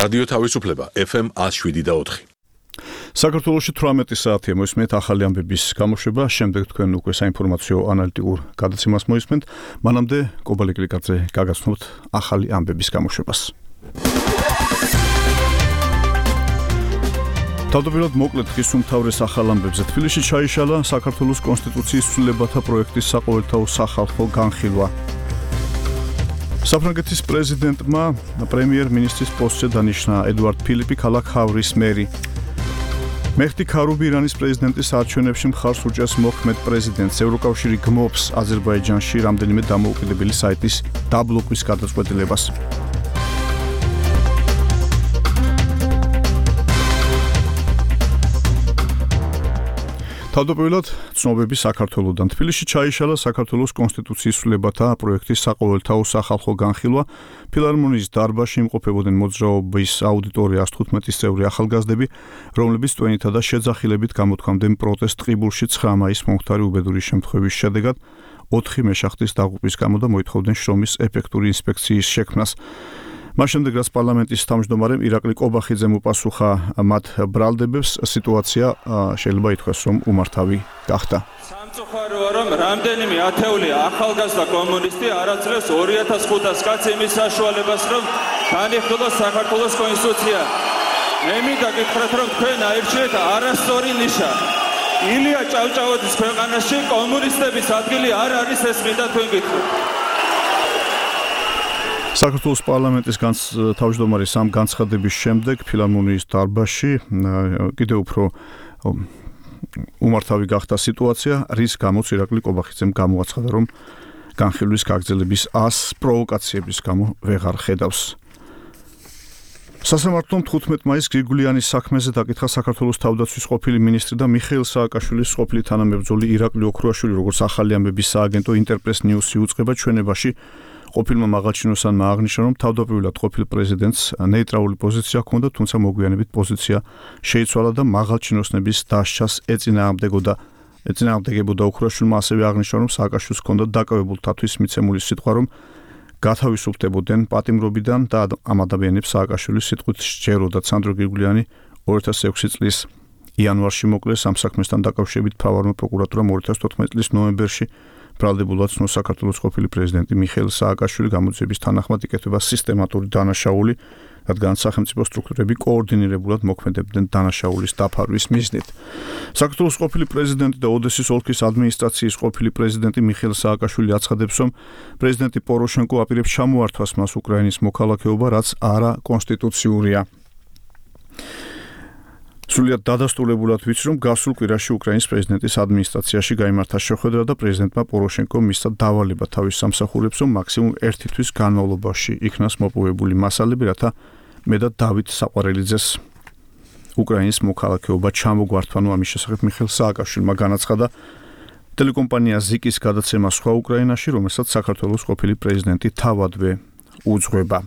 რადიო თავისუფლება FM 107.4. საქართველოში 18 საათია მოისმენთ ახალი ამბების გამოშვება, შემდეგ თქვენ უკვე საინფორმაციო ანალიტიკურ გადაცემას მოისმენთ, მანამდე კობალე კლიკაძე გაგაცნობთ ახალი ამბების გამოშვებას. თავდაპირველად მოკლედ ხის უმთავრეს ახალ ამბებზე თბილისში ჩაიშალა საქართველოს კონსტიტუციის ცვლილებათა პროექტის საყოველთაო სახალხო განხილვა. საფრანგეთის პრეზიდენტმა პრემიერ-მინისტრის პოსტზე დანიშნა ედუარდ ფილიპი ქალაქ ჰავრის მერი. მეხტი ქარუბი ირანის პრეზიდენტის არჩევნებში მხარს უჭერს მოქმედ პრეზიდენტს. ევროკავშირი გმობს აზერბაიჯანში რამდენიმე დამოუკიდებელი საიტის დაბლოკვის გადაწყვეტილებას. თავდაპირველად ცნობები საქართველოდან. თბილისში ჩაიშალა საქართველოს კონსტიტუციის ცვლილებათა პროექტის საყოველთაო სახალხო განხილვა. ფილარმონიის დარბაზში იმყოფებოდნენ მოძრაობის აუდიტორია 115 წევრი ახალგაზრდები, რომლებიც ტვენითა და შეძახილებით გამოთქვამდნენ პროტესტ ტყიბულში 9 მაისს მომხდარი უბედური შემთხვევის შედეგად 4 მეშახტის დაღუპვის გამო და მოითხოვდნენ შრომის ეფექტური ინსპექციის შექმნას. მას შემდეგ რაც პარლამენტის თავმჯდომარემ ირაკლი კობახიძემ უპასუხა მათ ბრალდებებს, სიტუაცია შეიძლება ითქვას, რომ უმართავი გახდა. სამწუხაროა, რომ რამდენიმე ათეული ახალგაზრდა კომუნისტი არ აძლევს 2500 კაცს იმის საშუალებას, რომ განიხილოს საქართველოს კონსტიტუცია. მე მინდა გითხრათ, რომ თქვენ აირჩიეთ არასწორი ნიშა. ილია ჭავჭავაძის ქვეყანაში კომუნისტების ადგილი არ არის, ეს მინდა თქვენ გითხრათ. საქართველოს პარლამენტის თავმჯდომარის ამ განცხადების შემდეგ ფილარმონიის დარბაზში კიდევ უფრო უმართავი გახდა სიტუაცია, რის გამოც ირაკლი კობახიძემ გამოაცხადა, რომ განხილვის გაგრძელების 100 პროვოკაციების გამო ვეღარ ხედავს. სასამართლომ 15 მაისს გრიგოლიანის საქმეზე დაკითხა საქართველოს თავდაცვის ყოფილი მინისტრი და მიხეილ სააკაშვილის ყოფილი თანამებრძოლი ირაკლი ოქრუაშვილი, როგორც ახალი ამბების სააგენტო ინტერპრეს ნიუსი უწყება ჩვენებაში. ყოფილმა მაღალჩინოსანმა აღნიშნა, რომ თავდაპირველად ყოფილ პრეზიდენტს ნეიტრალური პოზიცია ჰქონდა, თუმცა მოგვიანებით პოზიცია შეიცვალა და მაღალჩინოსნების დასჯას ეწინააღმდეგებოდა. ოქრუაშვილმა ასევე აღნიშნა, რომ სააკაშვილს ჰქონდა დაკავებულთათვის მიცემული სიტყვა, რომ გათავისუფლდებოდნენ პატიმრობიდან და ამ ადამიანებს სააკაშვილის სიტყვით სჯეროდა. სანდრო გრიგოლიანი 2006 წლის იანვარში მოკლეს. ამ საქმესთან დაკავშირებით მთავარმა პროკურატურამ 2014 წლის ნოემბერში ბრალდებულად ცნო საქართველოს ყოფილი პრეზიდენტი მიხეილ სააკაშვილი გამოძიების თანახმად იკეთება სისტემატური დანაშაული, რადგან სახელმწიფო სტრუქტურები კოორდინირებულად მოქმედებდნენ დანაშაულის დაფარვის მიზნით. საქართველოს ყოფილი პრეზიდენტი და ოდესის ოლქის ადმინისტრაციის ყოფილი პრეზიდენტი მიხეილ სააკაშვილი აცხადებს, რომ პრეზიდენტი პოროშენკო აპირებს ჩამოართვას მას უკრაინის მოქალაქეობა, რაც არა კონსტიტუციურია. სრულიად დადასტურებულად ვიცი, რომ გასულ კვირაში უკრაინის პრეზიდენტის ადმინისტრაციაში გაიმართა შეხვედრა და პრეზიდენტმა პოროშენკომ მისცა დავალება თავის სამსახურებს, რომ მაქსიმუმ 1 თვის განმავლობაში იქნას მოპოვებული მასალები, რათა მე და დავით საყვარელიძეს უკრაინის მოქალაქეობა ჩამოგვართვა. ამის შესახებ მიხეილ სააკაშვილმა განაცხადა ტელეკომპანია ზიკის გადაცემა სხვა უკრაინაში, რომელსაც საქართველოს ყოფილი პრეზიდენტი თავადვე უძღვება.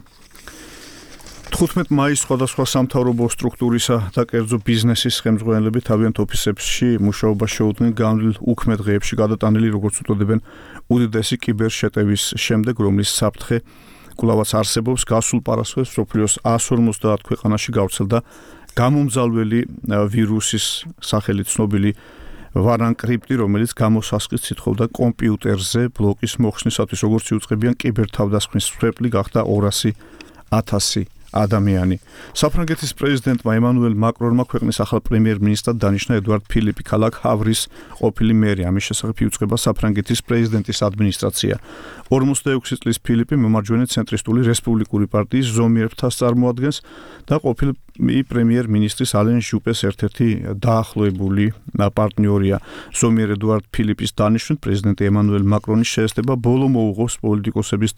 15 მაისს სხვადასხვა სამთავრობო სტრუქტურისა და კერძო ბიზნესის ხელმძღვანელები თავიანთ ოფისებში მუშაობას შეუდგნენ განვლილ უქმე დღეებში გადატანილი, როგორც უწოდებენ, უდიდესი კიბერშეტევის შემდეგ, რომლის საფრთხე კვლავაც არსებობს. გასულ პარასხევს მსოფლიოს 150 ქვეყანაში გავრცელდა გამომძალველი ვირუსის სახელით ცნობილი ვარანკრიპტი, რომელიც გამოსასყიდს ითხოვდა კომპიუტერზე ბლოკის მოხსნისათვის. როგორც იუწყებიან, კიბერთავდასხმის მსხვერპლი გახდა 200,000 ადამიანი. საფრანგეთის პრეზიდენტმა ემანუელ მაკრონმა ქვეყნის ახალ პრემიერ-მინისტრად დანიშნა ედუარდ ფილიპი ქალაქ ჰავრის ყოფილი მერი. ამის შესახებ იუწყება საფრანგეთის პრეზიდენტის ადმინისტრაცია. 46 წლის ფილიპი მემარჯვენე ცენტრისტული რესპუბლიკური პარტიის ზომიერებას წარმოადგენს და ყოფილი პრემიერ-მინისტრის ალენ ჟუპეს ერთ-ერთი დაახლოებული პარტნიორია. ზომიერ ედუარდ ფილიპის დანიშვნით პრეზიდენტი ემანუელ მაკრონის შეესწება ბოლო მოუღოს პოლიტიკოსების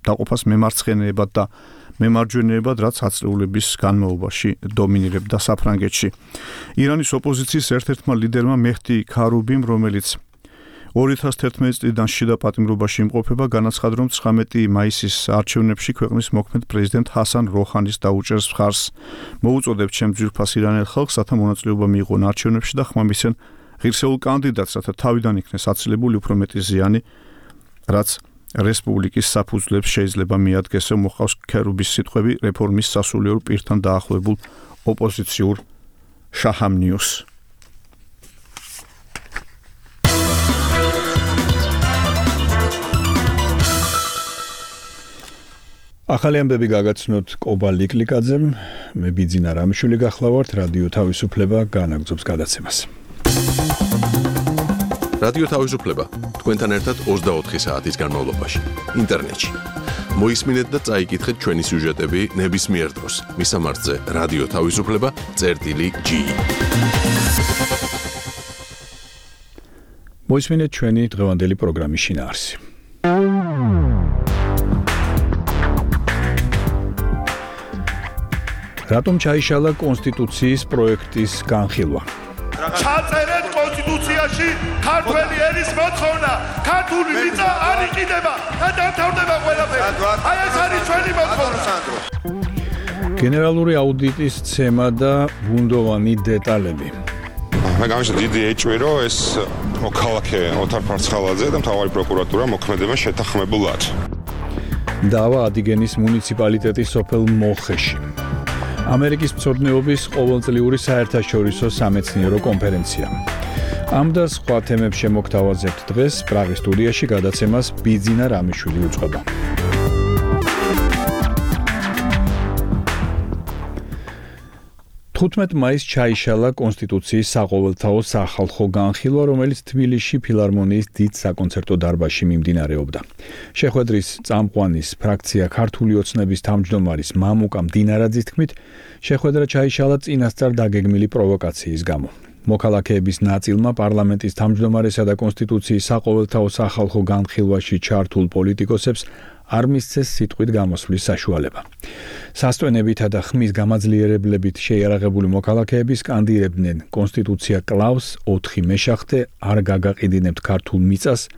დაყოფას მემარცხენეებად და მემარჯვენეებად, რაც ათწლეულების განმავლობაში დომინირებდა საფრანგეთში. ირანის ოპოზიციის ერთ-ერთმა ლიდერმა მეხტი ქარუბიმ, რომელიც 2011 წლიდან შიდა პატიმრობაში იმყოფება, განაცხადა, რომ 19 მაისის არჩევნებში ქვეყნის მოქმედ პრეზიდენტ ჰასან როჰანის დაუჭერს მხარს. მოუწოდებ ჩემ ძვირფას ირანელ ხალხს, რათა მონაწილეობა მიიღონ არჩევნებში და ხმამისცენ ღირსეულ კანდიდატს, რათა თავიდან იქნეს აცილებული უფრო მეტი ზიანი, რაც რესპუბლიკის საფუძვლებს შეიძლება მიადგეს, რომ მოხავს ქერუბის სიტყვები რეფორმის სასულიერო პირთან დაახლოებულ ოპოზიციურ შაჰამნიოს. ახალი ამბები გაგაცნოთ კობა ლიკლიკაძემ, მე ბიძინა რამიშვილი გახლავართ, რადიო თავისუფლება განაგრძობს გადაცემას. რადიო თავისუფლება თქვენთან ერთად 24 საათის განმავლობაში, ინტერნეტში. მოისმინეთ და წაიკითხეთ ჩვენი სიუჟეტები ნებისმიერ დროს. მისამართზე რადიო თავისუფლება.ge. მოისმინეთ ჩვენი დღევანდელი პროგრამის შინაარსი. რატომ ჩაიშალა კონსტიტუციის პროექტის განხილვა? ჩაწერეთ კონსტიტუციაში ქართველი ენის მოთხოვნა, ქართული მიწა არ იყიდება და დამთავრდება ყველაფერი. აი ეს არის ჩვენი მოთხოვნა. გენერალური აუდიტის ცემა და ბუნდოვანი დეტალები. მე გამიშა დიდი ეჭვი, რომ ეს მოქალაქე ოთარ ფარცხალაძე და მთავარი პროკურატურა მოქმედებენ შეთანხმებულად. დავა ადიგენის მუნიციპალიტეტის სოფელ მოლხეში. ამერიკის მცოდნეობის ყოველწლიური საერთაშორისო სამეცნიერო კონფერენცია. ამ და სხვა თემებს შემოგთავაზებთ დღეს პრაღის სტუდიაში გადაცემას ბიძინა რამიშვილი უწყება. 15 მაისს ჩაიშალა კონსტიტუციის საყოველთაო სახალხო განხილვა, რომელიც თბილისში ფილარმონიის დიდ საკონცერტო დარბაზში მიმდინარეობდა. შეხვედრის წამყვანის ფრაქცია ქართული ოცნების თავმჯდომარის მამუკა მდინარაძის თქმით, შეხვედრა ჩაიშალა წინასწარ დაგეგმილი პროვოკაციის გამო. მოქალაქეების ნაწილმა პარლამენტის თავმჯდომარესა და კონსტიტუციის საყოველთაო სახალხო განხილვაში ჩართულ პოლიტიკოსებს არ მისცეს სიტყვით გამოსვლის საშუალება. სასტვენებითა და ხმის გამაძლიერებლებით შეიარაღებული მოქალაქეები სკანდირებდნენ კონსტიტუცია კლავს 4 მეშახტე არ გაგაყიდინებთ ქართულ მიწას,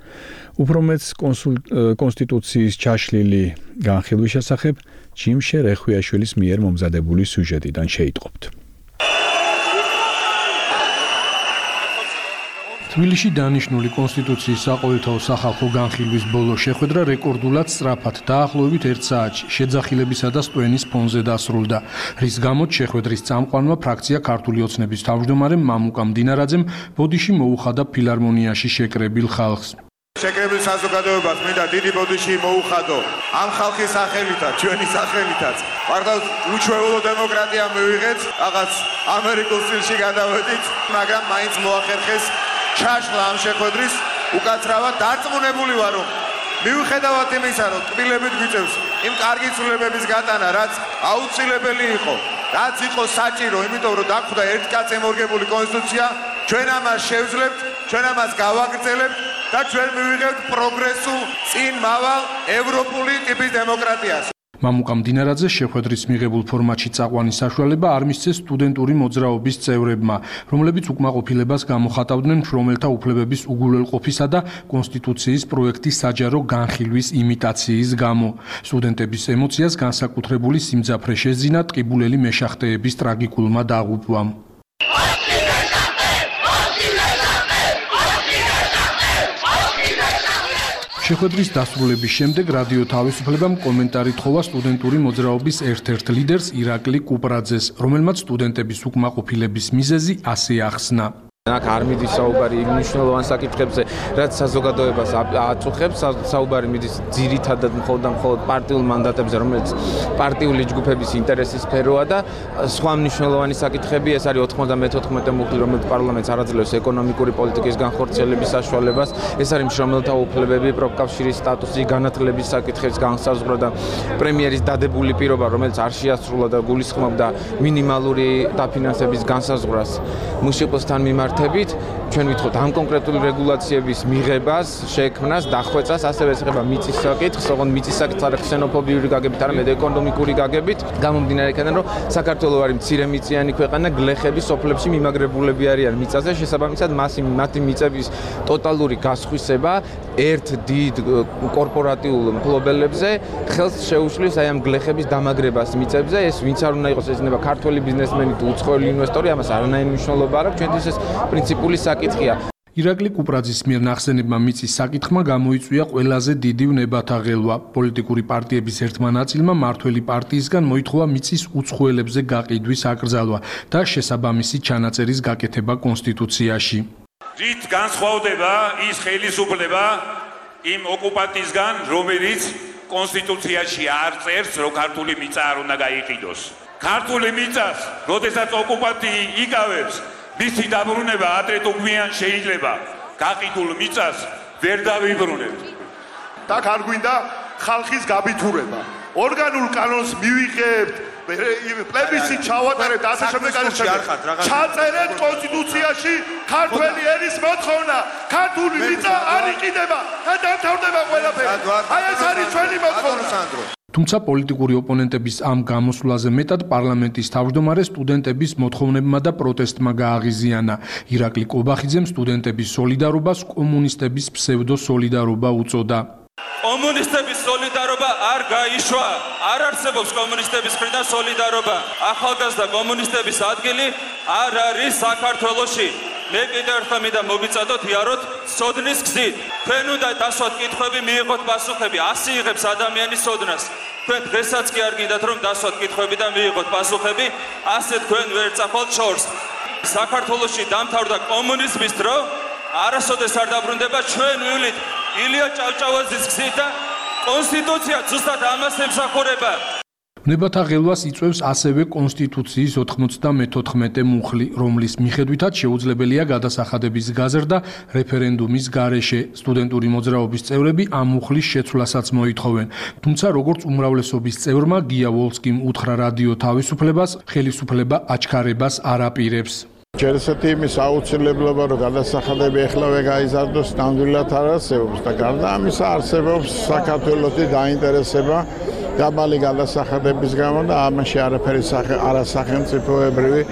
უფრო მეც კონსტიტუციის ჩაშლილი განხილვის შესახებ ჯიმშე რეხვიაშვილის მიერ მომზადებული სიუჟეტიდან შეიტყობთ. თბილისში დანიშნული კონსტიტუციის საყოველთაო სახალხო განხილვის ბოლო შეხვედრა რეკორდულად სწრაფად დაახლოებით 1 საათში შეძახილებისა და სტვენის ფონზე დასრულდა, რის გამოც შეხვედრის წამყვანმა ფრაქცია ქართული ოცნების თავმჯდომარემ მამუკა მდინარაძემ ბოდიში მოუხადა ფილარმონიაში შეკრებილ ხალხს. შეკრებილ საზოგადოებას მინდა დიდი ბოდიში მოუხადო ამ ხალხის სახელითაც, ჩვენი სახელითაც. პარტავს უჩვეულო დემოკრატია მივიღეთ, რაღაც ამერიკულ სტილში გადავედით, მაგრამ მაინც მოახერხეს ჩაშლა ამ შეხვედრის უკაცრავად დარწმუნებული ვარ, რომ მიუხედავად იმისა, რომ ტკბილებით გვიწევს იმ კარგი ცვლილებების გატანა, რაც აუცილებელი იყო, რაც იყო საჭირო, იმიტომ რომ დაგვხვდა ერთ კაც ემორგებული კონსტიტუცია, ჩვენ ამას შევძლებთ, ჩვენ ამას გავაგრძელებთ და ჩვენ მივიღებთ პროგრესულ წინ მავალ ევროპული ტიპის დემოკრატიას. მამუკა მდინარაძე შეხვედრის მიღებულ ფორმატში წაყვანის საშუალება არ მისცეს სტუდენტური მოძრაობის წევრებმა, რომლებიც უკმაყოფილებას გამოხატავდნენ მშრომელთა უფლებების უგულებელყოფისა და კონსტიტუციის პროექტის საჯარო განხილვის იმიტაციის გამო. სტუდენტების ემოციას განსაკუთრებული სიმძაფრე შეძინა ტყიბულელი მეშახტეების ტრაგიკულმა დაღუპვამ. შეხვედრის დასრულების შემდეგ რადიო თავისუფლებამ კომენტარი თხოვა სტუდენტური მოძრაობის ერთ-ერთ ლიდერს ირაკლი კუპრაძეს, რომელმაც სტუდენტების უკმაყოფილების მიზეზი ასე ახსნა. აქ არ მიდის საუბარი იმ მნიშვნელოვან საკითხებზე, რაც საზოგადოებას აწუხებს, საუბარი მიდის ძირითადად მხოლოდ პარტიულ მანდატებზე, რომელიც პარტიული ჯგუფების ინტერესის სფეროა და სხვა მნიშვნელოვანი საკითხები, ეს არის 94 მუხლი, რომელიც პარლამენტს არაძლევს ეკონომიკური პოლიტიკის განხორციელების საშუალებას, ეს არის მშრომელთა უფლებები, პროფკავშირის სტატუსის განათლების საკითხების განსაზღვრა და პრემიერის დადებული პირობა, რომელიც არ შეასრულა და გულისხმობდა მინიმალური დაფინანსების განსაზღვრას მუშიკოსთან მიმართ ჩვენ ვითხოვთ ამ კონკრეტული რეგულაციების მიღებას, შექმნას, დახვეწას, ასევე ეხება მიწის საკითხს, ოღონდ მიწის საკითხს არა ქსენოფობიური გაგებით, არამედ ეკონომიკური გაგებით, გამომდინარე იქიდან, რომ საქართველო არის მცირემიწიანი ქვეყანა, გლეხები სოფლებში მიმაგრებულები არიან მიწაზე, შესაბამისად მათი მიწების ტოტალური გასხვისება ერთ დიდ კორპორატიულ მფლობელებზე ხელს შეუშლის აი ამ გლეხების დამაგრებას მიწებზე, ეს ვინც არ უნდა იყოს, ეს იქნება ქართველი ბიზნესმენი თუ უცხოელი ინვესტორი, ამას არანაირი მნიშვნელობა არ აქვს, ჩვენთვის ეს პრინციპული საკითხია. ირაკლი კუპრაძის მიერ ნახსენებმა მიწის საკითხმა გამოიწვია ყველაზე დიდი ვნებათა ღელვა. პოლიტიკური პარტიების ერთმა ნაწილმა მმართველი პარტიისგან მოითხოვა მიწის უცხოელებზე გაყიდვის აკრძალვა და შესაბამისი ჩანაწერის გაკეთება კონსტიტუციაში. რით განსხვავდება ის ხელისუფლება იმ ოკუპანტისგან, რომელიც კონსტიტუციაში არ წერს, რომ ქართული მიწა არ უნდა გაიყიდოს. ქართული მიწას, როდესაც ოკუპანტი იკავებს, მისი დაბრუნება ადრე თუ გვიან შეიძლება. გაყიდულ მიწას ვერ დავიბრუნებთ. და არ გვინდა ხალხის გაბითურება. ორგანულ კანონს მივიღებთ, პლებისციტ ჩავატარებთ, ასე შემდეგ ჩაწერეთ კონსტიტუციაში ქართველი ენის მოთხოვნა, ქართული მიწა არ იყიდება და დამთავრდება ყველაფერი. აი ეს არის ჩვენი მოთხოვნა. თუმცა პოლიტიკური ოპონენტების ამ გამოსვლაზე მეტად პარლამენტის თავმჯდომარე სტუდენტების მოთხოვნებმა და პროტესტმა გააღიზიანა. ირაკლი კობახიძემ სტუდენტების სოლიდარობას კომუნისტების ფსევდო-სოლიდარობა უწოდა. კომუნისტების სოლიდარობა არ გაიშვა. არ არსებობს კომუნისტების მხრიდან სოლიდარობა. ახალგაზრდა კომუნისტების ადგილი არ არის საქართველოში. მე კიდევ ერთხელ მინდა მოგიწადოთ იაროთ სოდნის გზით. თქვენ უნდა დასვათ კითხვები, მიიღოთ პასუხები. ასე იღებს ადამიანის სოდნას. თქვენ დღესაც კი არ გინდათ რომ დასვათ კითხვები და მიიღოთ პასუხები. ასე თქვენ ვერ წახვალთ შორს. საქართველოში დამთავრდა კომუნიზმის დრო, არასოდეს არ დაბრუნდება ჩვენ ვილით ილია ჭავჭავაძის გზით და კონსტიტუცია ზუსტად ამას ემსახურება. ვნებათა ღელვას იწვევს ასევე კონსტიტუციის 94 მუხლი, რომლის მიხედვითაც შეუძლებელია გადასახადების გაზრდა რეფერენდუმის გარეშე. სტუდენტური მოძრაობის წევრები ამ მუხლის შეცვლასაც მოითხოვენ. თუმცა როგორც უმრავლესობის წევრმა გია ვოლსკიმ უთხრა რადიო თავისუფლებას, ხელისუფლება აჩქარებას არ აპირებს. ჯერესეთი იმის აუცილებლობა, რომ გადასახადები ეხლავე გაიზარდოს, ნამდვილად არ არსებობს და გარდა ამისა არსებობს საქართველოსი დაინტერესება დაბალი გადასახადების გამო და ამაში არაფერი არასახელმწიფოებრივი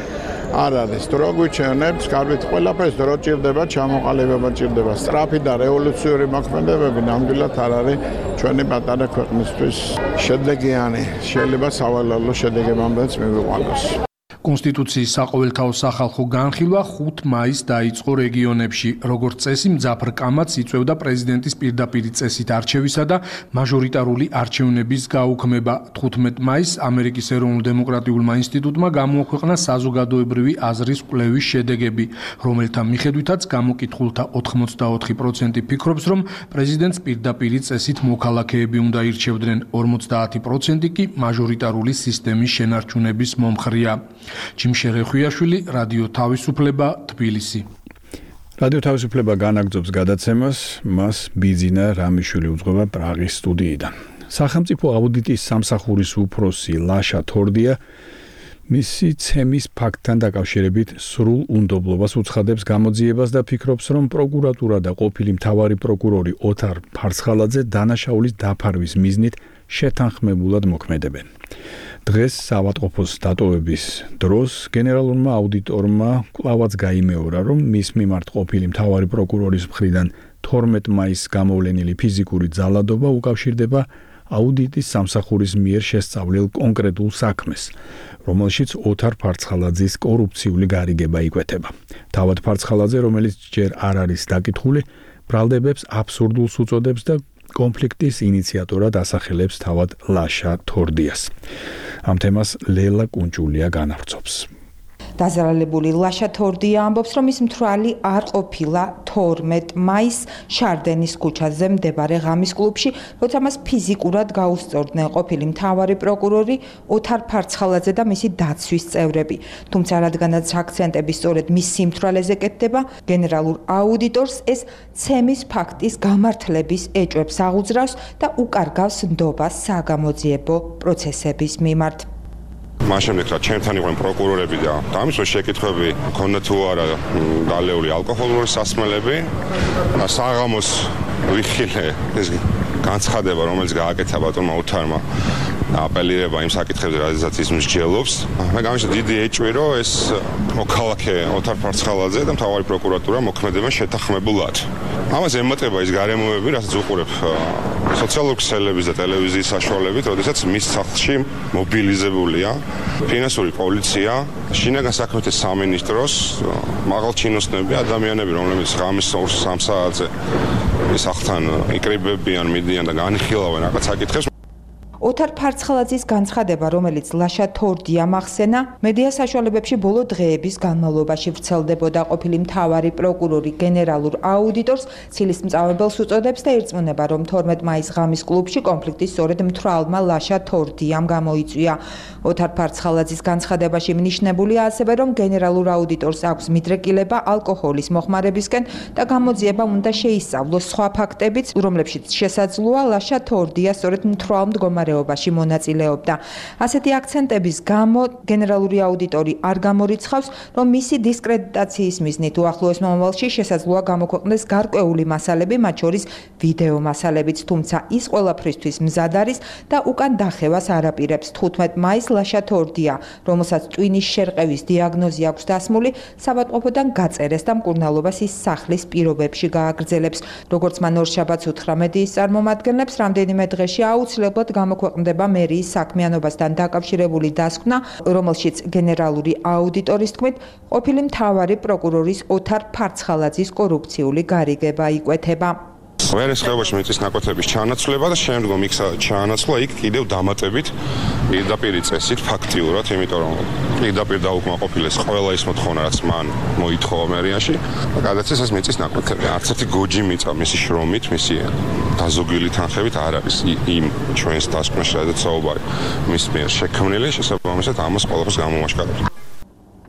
არ არის. დრო გვიჩვენებს, კარგით ყველაფერს დრო ჭირდება, ჩამოყალიბება ჭირდება. სწრაფი და რევოლუციური მოქმედებები ნამდვილად არ არის ჩვენი პატარა ქვეყნისთვის შედეგიანი. შეიძლება სავალალო შედეგებამდეც მივიყვანოს. კონსტიტუციის საყოველთაო სახალხო განხილვა 5 მაისს დაიწყო რეგიონებში. როგორც წესი, მძაფრ კამათს იწვევდა პრეზიდენტის პირდაპირი წესით არჩევისა და მაჟორიტარული არჩევნების გაუქმება. 15 მაისს ამერიკის ეროვნულ-დემოკრატიულმა ინსტიტუტმა გამოაქვეყნა საზოგადოებრივი აზრის კვლევის შედეგები, რომელთა მიხედვითაც გამოკითხულთა 84% ფიქრობს, რომ პრეზიდენტს პირდაპირი წესით მოქალაქეები უნდა ირჩევდნენ, 50% კი მაჟორიტარული სისტემის შენარჩუნების მომხრეა. ჯიმშერეხვიაშვილი, რადიო თავისუფლება, თბილისი. რადიო თავისუფლება განაგრძობს გადაცემას, მას ბიძინა რამიშვილი უძღვება პრაღის სტუდიიდან. სახელმწიფო აუდიტის სამსახურის უფროსი ლაშა თორდია მისი ცემის ფაქტთან დაკავშირებით სრულ უნდობლობას უცხადებს გამოძიებას და ფიქრობს, რომ პროკურატურა და ყოფილი მთავარი პროკურორი ოთარ ფარცხალაძე დანაშაულის დაფარვის მიზნით შეთანხმებულად მოქმედებენ. დღეს საავადმყოფოს დატოვების დროს გენერალურმა აუდიტორმა კვლავაც გაიმეორა, რომ მის მიმართ ყოფილი მთავარი პროკურორის მხრიდან 12 მაისს გამოვლენილი ფიზიკური ძალადობა უკავშირდება აუდიტის სამსახურის მიერ შესწავლილ კონკრეტულ საქმეს, რომელშიც ოთარ ფარცხალაძის კორუფციული გარიგება იკვეთება. თავად ფარცხალაძე, რომელიც ჯერ არ არის დაკითხული, ბრალდებებს აბსურდულს უწოდებს და კონფლიქტის ინიციატორად ასახელებს თავად ლაშა თორდიას. ამ თემას ლელა კუნჭულია განავრცობს. დაზარალებული ლაშა თორდია ამბობს, რომ ის მთვრალი არ ყოფილა 12 მაისს შარდენის ქუჩაზე მდებარე ღამის კლუბში, როცა მას ფიზიკურად გაუსწორდნენ ყოფილი მთავარი პროკურორი ოთარ ფარცხალაძე და მისი დაცვის წევრები. თუმცა რადგანაც აქცენტები სწორედ მის სიმთვრალეზე კეთდება, გენერალურ აუდიტორს ეს ცემის ფაქტის გამართლების ეჭვებს აღუძრავს და უკარგავს ნდობას საგამოძიებო პროცესების მიმართ. მაშინ რა ჩემთან იყვნენ პროკურორები და ამის შეკითხვები მქონდა თუ არა დალეული ალკოჰოლური სასმელები. საღამოს ვიხილე ეს განცხადება, რომელიც გააკეთა ბატონმა ოთარმა აპელირება იმ საკითხებზე, რადგანაც ის მსჯელობს. მე გამიშა დიდი ეჭვი, რომ ეს მოქალაქე ოთარ ფარცხალაძე და მთავარი პროკურატურა მოქმედებენ შეთანხმებულად. ამას ემატება ის გარემოები, რასაც უყურებ სოციალური ქსელების და ტელევიზიის საშუალებით, როდესაც მის სახლში მობილიზებულია ფინანსური პოლიცია, შინაგან საქმეთა სამინისტროს მაღალჩინოსნები, ადამიანები, რომლებიც ღამის 2-3 საათზე სახლთან იკრიბებიან, მიდიან და განიხილავენ რაღაც საკითხებს. ოთარ ფარცხალაძის განცხადება, რომელიც ლაშა თორდიამ ახსენა, მედია საშუალებებში ბოლო დღეების განმავლობაში ვრცელდებოდა. ყოფილი მთავარი პროკურორი გენერალურ აუდიტორს ცილისმწამებელს უწოდებს და ირწმუნება, რომ 12 მაისს ღამის კლუბში კონფლიქტი სწორედ მთვრალმა ლაშა თორდიამ გამოიწვია. ოთარ ფარცხალაძის განცხადებაში მინიშნებულია ასევე, რომ გენერალურ აუდიტორს აქვს მიდრეკილება ალკოჰოლის მოხმარებისკენ და გამოძიებამ უნდა შეისწავლოს სხვა ფაქტებიც, რომლებშიც შესაძლოა ლაშა თორდია სწორედ მთვრალ მდგომარეობაში მონაწილეობდა. ასეთი აქცენტების გამო გენერალური აუდიტორი არ გამორიცხავს, რომ მისი დისკრედიტაციის მიზნით უახლოეს მომავალში შესაძლოა გამოქვეყნდეს გარკვეული მასალები, მათ შორის ვიდეო მასალებიც, თუმცა ის ყველაფრისთვის მზად არის და უკან დახევას არ აპირებს. 15 მაისს ლაშა თორდია, რომელსაც ტვინის შერყევის დიაგნოზი აქვს დასმული, საბატყოფოდან გაწერეს და მკურნალობას ის სახლის პირობებში გააგრძელებს. როგორც მან ორშაბათს უთხრა მედიის წარმომადგენლებს, რამდენიმე დღეში აუცილებლად გამოქვეყნდება მერიის საქმიანობასთან დაკავშირებული დასკვნა, რომელშიც გენერალური აუდიტორის თქმით, ყოფილი მთავარი პროკურორის ოთარ ფარცხალაძის კორუფციული გარიგება იკვეთება. ვერეს ხეობაში მიწის ნაკვეთების ჩანაცვლება და შემდგომ იქ ჩანაცვლა იქ კიდევ დამატებით პირდაპირ წესით ფაქტიურად, იმიტომ რომ პირდაპირ დაუკმაყოფილეს ყველა ის მოთხოვნა, რაც მან მოითხოვა მერიაში და გადაცეს ეს მიწის ნაკვეთები. არც ერთი გოჯი მიწა მისი შრომით, მისი დაზოგვილი თანხებით არ არის იმ ჩვენს დასკვნაში, სადაც საუბარი მის მიერ შექმნილი, შესაბამისად ამას ყველაფერს გამომაშკარებს.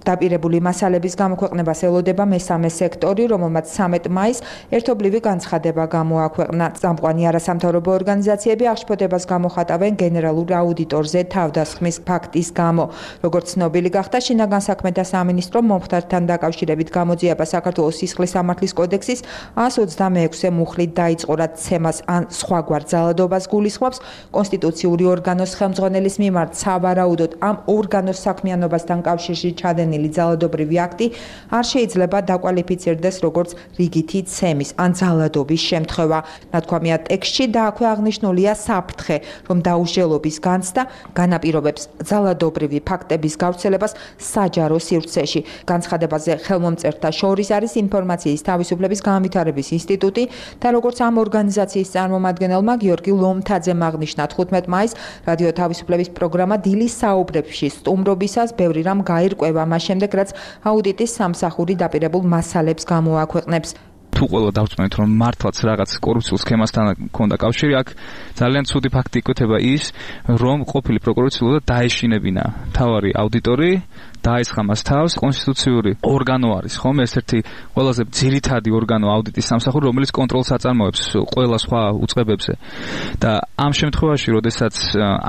დაპირებული მასალების გამოქვეყნებას ელოდება მესამე სექტორი, რომელმაც 13 მაისს ერთობლივი განცხადება გამოაქვეყნა. წამყვანი არასამთავრობო ორგანიზაციები აღშფოთებას გამოხატავენ გენერალურ აუდიტორზე თავდასხმის ფაქტის გამო. როგორც ცნობილი გახდა, შინაგან საქმეთა სამინისტრო მომხდართან დაკავშირებით გამოძიება საქართველოს სისხლის სამართლის კოდექსის 126 მუხლით დაიწყო, რაც ცემას ან სხვაგვარ ძალადობას გულისხმობს. კონსტიტუციური ორგანოს ხელმძღვანელის მიმართ სავარაუდოდ ამ ორგანოს საქმიანობასთან კავშირში ჩადენილი ძალადობრივი აქტი არ შეიძლება დაკვალიფიცირდეს როგორც რიგითი ცემის ან ძალადობის შემთხვევა. ნათქვამია ტექსტში და აქვე აღნიშნულია საფრთხე, რომ დაუსჯელობის განცდა განაპირობებს ძალადობრივი ფაქტების გავრცელებას საჯარო სივრცეში. განცხადებაზე ხელმომწერთა შორის არის ინფორმაციის თავისუფლების განვითარების ინსტიტუტი და როგორც ამ ორგანიზაციის წარმომადგენელმა გიორგი ლომთაძემ აღნიშნა 15 მაისს რადიო თავისუფლების პროგრამა დილის საუბრებში სტუმრობისას ბევრი რამ გაირკვევა შემდეგ რაც აუდიტის სამსახური დაპირებულ მასალებს გამოაქვეყნებს. თუ ყველა დავწმენთ, რომ მართლაც რაღაც კორუფციულ სქემასთან ჰქონდა კავშირი, აქ ძალიან ცუდი ფაქტი იკვეთება ის, რომ ყოფილი პროკურორი ცდილობდა დაეშინებინა მთავარი აუდიტორი, დაესხა მას თავს. კონსტიტუციური ორგანო არის, ხომ? ერთ-ერთი ყველაზე ძირითადი ორგანო აუდიტის სამსახური, რომელიც კონტროლს აწარმოებს ყველა სხვა უწყებებზე. და ამ შემთხვევაში, როდესაც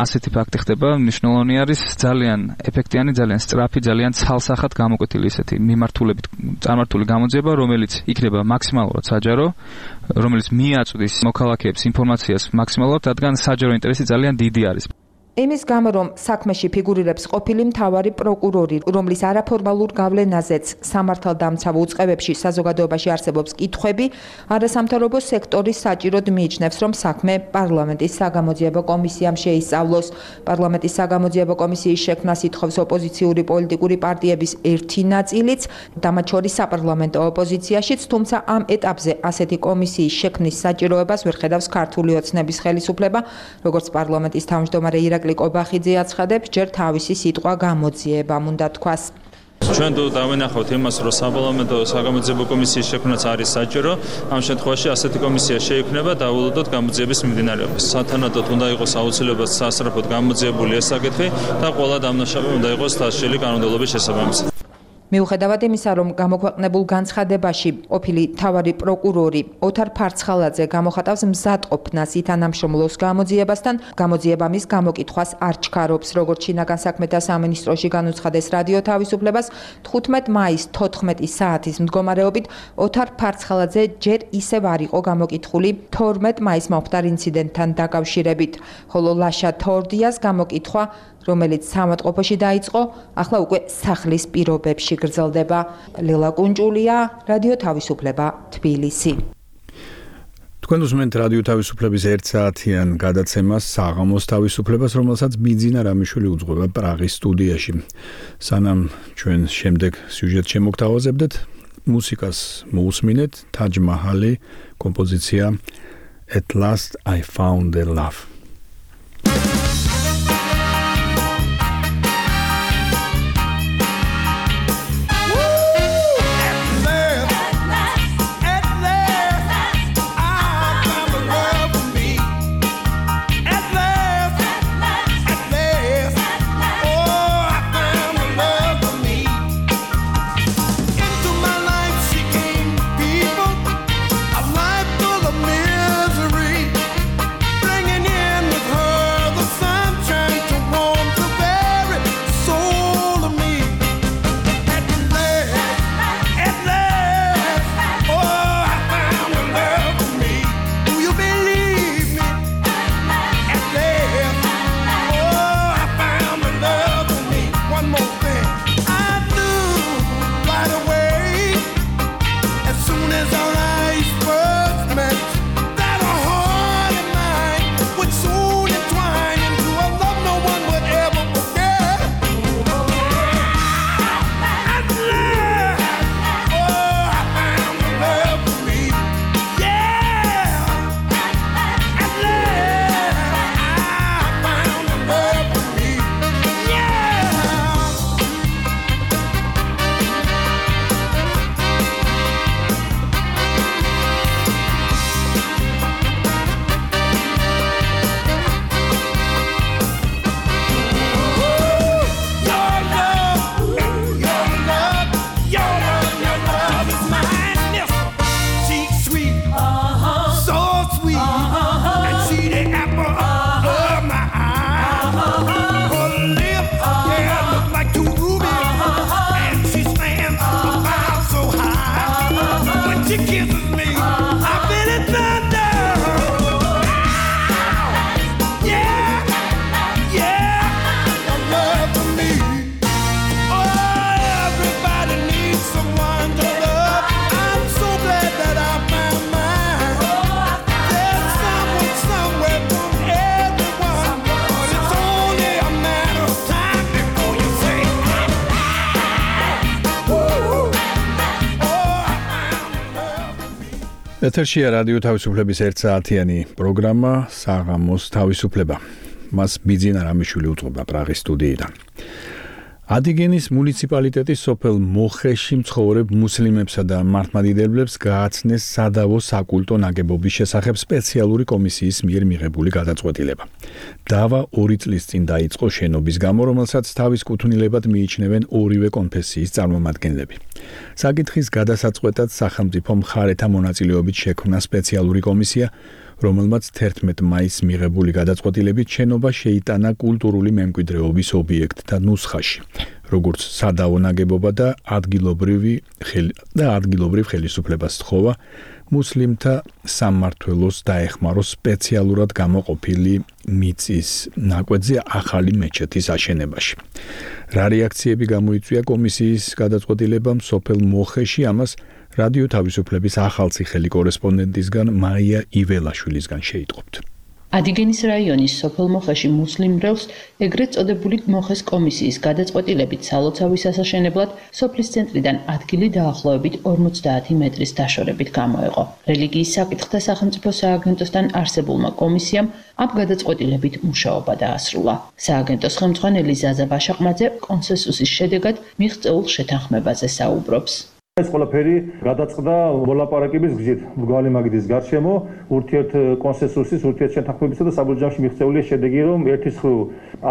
ასეთი ფაქტი ხდება, მნიშვნელოვანი არის ძალიან ეფექტიანი, ძალიან სწრაფი, ძალიან ცალსახად გამოკვეთილი ესეთი მიმართულებით წარმართული გამოძიება, რომელიც იქნება მაქსიმალურად საჯარო, რომელიც მიაწვდის მოქალაქეებს ინფორმაციას მაქსიმალურად, რადგან საჯარო ინტერესი ძალიან დიდი არის. იმის გამო, რომ საქმეში ფიგურირებს ყოფილი მთავარი პროკურორი, რომლის არაფორმალურ გავლენაზეც სამართალდამცავ უწყებებში საზოგადოებაში არსებობს კითხვები, არასამთავრობო სექტორი საჭიროდ მიიჩნევს, რომ საქმე პარლამენტის საგამოძიებო კომისიამ შეისწავლოს. პარლამენტის საგამოძიებო კომისიის შექმნას ითხოვს ოპოზიციური პოლიტიკური პარტიების ერთი ნაწილიც, და მათ შორის საპარლამენტო ოპოზიციაშიც, თუმცა ამ ეტაპზე ასეთი კომისიის შექმნის საჭიროებას ვერ ხედავს ქართული ოცნების ხელისუფლება, როგორც პარლამენტის თავმჯდომარე ირაკლი კობახიძე აცხადებს, ჯერ თავისი სიტყვა გამოძიებამ უნდა თქვას. ჩვენ დავენახავთ იმას, რომ საპარლამენტო საგამოძიებო კომისიის შექმნაც არის საჭირო. ამ შემთხვევაში ასეთი კომისია შეიქმნება დავულოდოთ გამოძიების მიმდინარეობას. სათანადოდ უნდა იყოს აუცილებლად სასწრაფოდ გამოძიებული ეს საკითხი და ყველა დამნაშავე უნდა იყოს დასჯილი კანონმდებლობის შესაბამისად. მიუხედავად იმისა, რომ გამოქვეყნებულ განცხადებაში ყოფილი მთავარი პროკურორი ოთარ ფარცხალაძე გამოხატავს მზადყოფნას ითანამშრომლოს გამოძიებასთან, გამოძიება მის გამოკითხვას არ ჩქარობს. როგორც შინაგან საქმეთა სამინისტროში განუცხადეს რადიო თავისუფლებას, 15 მაისს 14 საათის მდგომარეობით ოთარ ფარცხალაძე ჯერ ისევ არ იყო გამოკითხული 12 მაისს მომხდარ ინციდენტთან დაკავშირებით, ხოლო ლაშა თორდიას გამოკითხვა, რომელიც სამავტყოფოში დაიწყო, ახლა უკვე სახლის პირობებში გრძელდება. ლელა კუნჭულია, რადიო თავისუფლება, თბილისი. თქვენ უსმენთ რადიო თავისუფლების 1 საათიან გადაცემას საღამოს თავისუფლებას, რომელსაც ბიძინა რამიშვილი უძღვება პრაღის სტუდიაში. სანამ ჩვენ შემდეგ სიუჟეტს შემოგთავაზებდეთ, მუსიკას მოусმინეთ, Taj Mahal-ი, კომპოზიცია At Last I Found a Love. ეთერშია რადიო თავისუფლების 1 საათიანი პროგრამა საღამოს თავისუფლება. მას ბიძინა რამიშვილი უძღვება პრაღის სტუდიიდან. ადიგენის მუნიციპალიტეტის სოფელ მოხეში მცხოვრებ მუსლიმებსა და მართლმადიდებლებს გააცნეს სადავო საკულტო ნაგებობის შესახებ სპეციალური კომისიის მიერ მიღებული გადაწყვეტილება. დავა 2 წლის წინ დაიწყო შენობის გამო, რომელსაც თავის კუთვნილებად მიიჩნევენ ორივე კონფესიის წარმომადგენლები. საკითხის გადასაწყვეტად სახელმწიფო მხარეთა მონაწილეობით შექმნა სპეციალური კომისია, რომელმაც 11 მაისს მიღებული გადაწყვეტილებით შენობა შეიტანა კულტურული მემკვიდრეობის ობიექტთა ნუსხაში, როგორც სადავო ნაგებობა და ადგილობრივ ხელისუფლებას სთხოვა მუსლიმთა სამმართველოს დაეხმაროს სპეციალურად გამოყოფილი მიწის ნაკვეთზე ახალი მეჩეთის აშენებაში. რა რეაქციები გამოიწვია კომისიის გადაწყვეტილებამ სოფელ მოხეში, ამას რადიო თავისუფლების ახალციხელი კორესპონდენტისგან მაია იველაშვილისგან შეიტყობთ. ადიგენის რაიონის სოფელ მოხეში მუსლიმ-მრევლს ეგრეთ წოდებული მოხეს კომისიის გადაწყვეტილებით სალოცავის ასაშენებლად სოფლის ცენტრიდან ადგილი დაახლოებით 50 მეტრის დაშორებით გამოეყო. რელიგიის საკითხთა სახელმწიფო სააგენტოსთან არსებულმა კომისიამ ამ გადაწყვეტილებით მუშაობა დაასრულა. სააგენტოს ხელმძღვანელი ზაზა ბაშაყმაძე კონსენსუსის შედეგად მიღწეულ შეთანხმებაზე საუბრობს. ეს ყველაფერი გადაწყდა მოლაპარაკების გზით მრგვალი მაგიდის გარშემო ურთიერთ კონსენსუსის ურთიერთ შეთანხმებისა და საბოლოოში მიღწეული შედეგი რომ ერთის მხრივ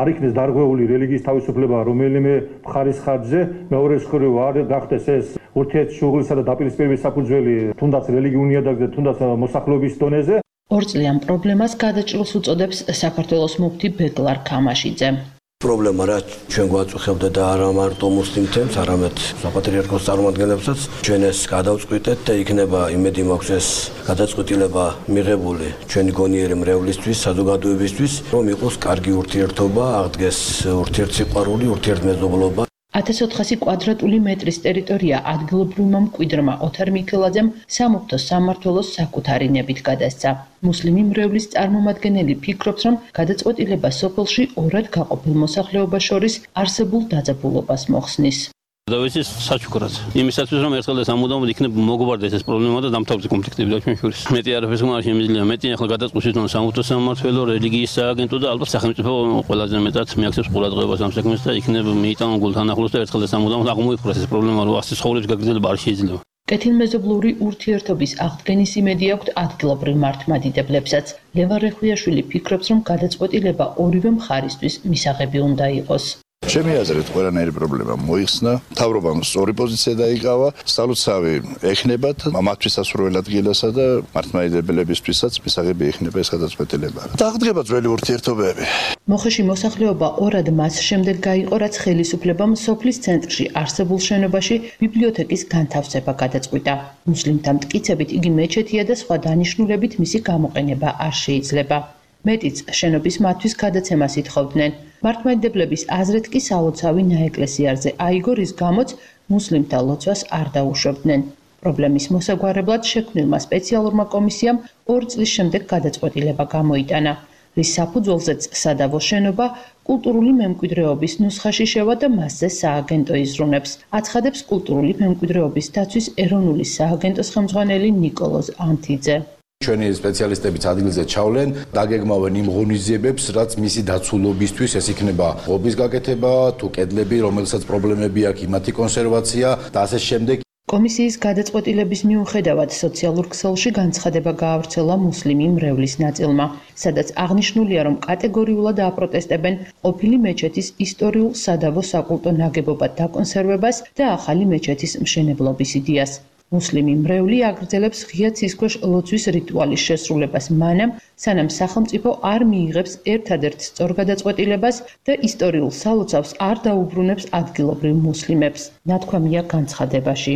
არ იქნეს დარღვეული რელიგიის თავისუფლება რომელიმე მხარის ხარჯზე, მეორეს მხრივ არ გახდეს ეს ურთიერთ შუღლისა და დაპირისპირების საფუძველი თუნდაც რელიგიურ ნიადაგზე, თუნდაც მოსახლეობის დონეზე. ორწლიან პრობლემას გადაჭრილს უწოდებს საქართველოს მუფთი ბეგლარ ქამაშიძე. პრობლემა რა ჩვენ გვაწუხებდა და არა მარტო მუსლიმთებს, არამედ საპატრიარქოს წარმომადგენლებსაც ჩვენ ეს გადავწყვიტეთ და იქნება იმედი მაქვს ეს გადაწყვეტილება მიღებული ჩვენი გონიერი მრევლისთვის, საზოგადოებისთვის, რომ იყოს კარგი ურთიერთობა, აღდგეს ურთიერთსიყვარული, ურთიერთმეზობლობა. 1400 კვადრატული მეტრის ტერიტორია ადგილობრივმა მკვიდრმა ოთარ მიქელაძემ სამუფრთო სამმართველოს საკუთარი ნებით გადასცა. მუსლიმი მრევლის წარმომადგენელი ფიქრობს, რომ გადაწყვეტილება სოფელში ორად გაყოფილ მოსახლეობას შორის არსებულ დაძაბულობას მოხსნის. დავიცის საჩუქრად. იმისათვის რომ ერთხელ და სამუდამოდ იქნებ მოგვარდეს ეს პრობლემა და დამთავრდეს კონფლიქტები და ჩვენ შორის. მეტი არაფერს არ შემიძლია. მეტი ახლა გადაწყვეტს თვითონ სამუთო სამმართველო, რელიგიის სააგენტო და ალბათ სახელმწიფო ყველაზე მეტად მიაქცევს ყურადღებას ამ საქმეს და იქნებ მიიტანონ გულთან ახლოს და ერთხელ და სამუდამოდ აღმოიფხვრას ეს პრობლემა, რომ ასე ცხოვრების გაგრძელება არ შეიძლება. კეთილმეზობლური ურთიერთობის აღდგენის იმედი აქვთ ადგილობრივ მართლმადიდებლებსაც. ლევან რეხვიაშვილი ფიქრობს, რომ გადაწყვეტილება ორივე მხარისთვის მისაღები უნდა იყოს. ჩემი აზრით ყველანაირი პრობლემა მოიხსნა, მთავრობამ სწორი პოზიცია დაიკავა, სალოცავი ეხნებათ მათთვის სასურველ ადგილასა და მართლმადიდებლებისთვისაც მისაღები ეხნება ეს გადაწყვეტილება. დაღდგება ძველი ურთიერთობები. მოხეში მოსახლეობა ორად მას შემდეგ გაიყო, რაც ხელისუფლებამ სოფლის ცენტრში არსებულ შენობაში ბიბლიოთეკის განთავსება გადაწყვიტა. მუსლიმთა მტკიცებით იგი მეჩეთია და სხვა დანიშნულებით მისი გამოყენება არ შეიძლება. მეტიც შენობის მათთვის გადაცემას ითხოვდნენ. მართლმადიდებლების აზრით კი სალოცავი ნაეკლესიარზე აიგო, რის გამოც მუსლიმთა ლოცვას არ დაუშვებდნენ. პრობლემის მოსაგვარებლად შექმნილმა სპეციალურმა კომისიამ 2 წლის შემდეგ გადაწყვეტილება გამოიტანა, რის საფუძველზეც სადავო შენობა კულტურული მემკვიდრეობის ნუსხაში შევა და მასზე სააგენტო იზრუნებს. აცხადებს კულტურული მემკვიდრეობის დაცვის ეროვნული სააგენტოს ხელმძღვანელი ნიკოლოზ ანთიძე. ჩვენი სპეციალისტებიც ადგილზე ჩავლენ, დაგეგმავენ იმ ღონისძიებებს, რაც მისი დაცულობისთვის ეს იქნება ღობის გაკეთება, თუ კედლები, რომელსაც პრობლემები აქვს, იმათი კონსერვაცია და ასე შემდეგ. კომისიის გადაწყვეტილების მიუხედავად სოციალურ ქსელში განცხადება გაავრცელა მუსლიმი მრევლის ნაწილმა, სადაც აღნიშნულია, რომ კატეგორიულად აპროტესტებენ ყოფილი მეჩეთის ისტორიულ სადავო საკულტო ნაგებობად დაკონსერვებას და ახალი მეჩეთის მშენებლობის იდეას. მუსლიმი მრევლი აგრძელებს ღია ცისქვეშ ლოცვის რიტუალის შესრულებას მანამ, სანამ სახელმწიფო არ მიიღებს ერთადერთ სწორ გადაწყვეტილებას და ისტორიულ სალოცავს არ დაუბრუნებს ადგილობრივ მუსლიმებს. ნათქვამია განცხადებაში.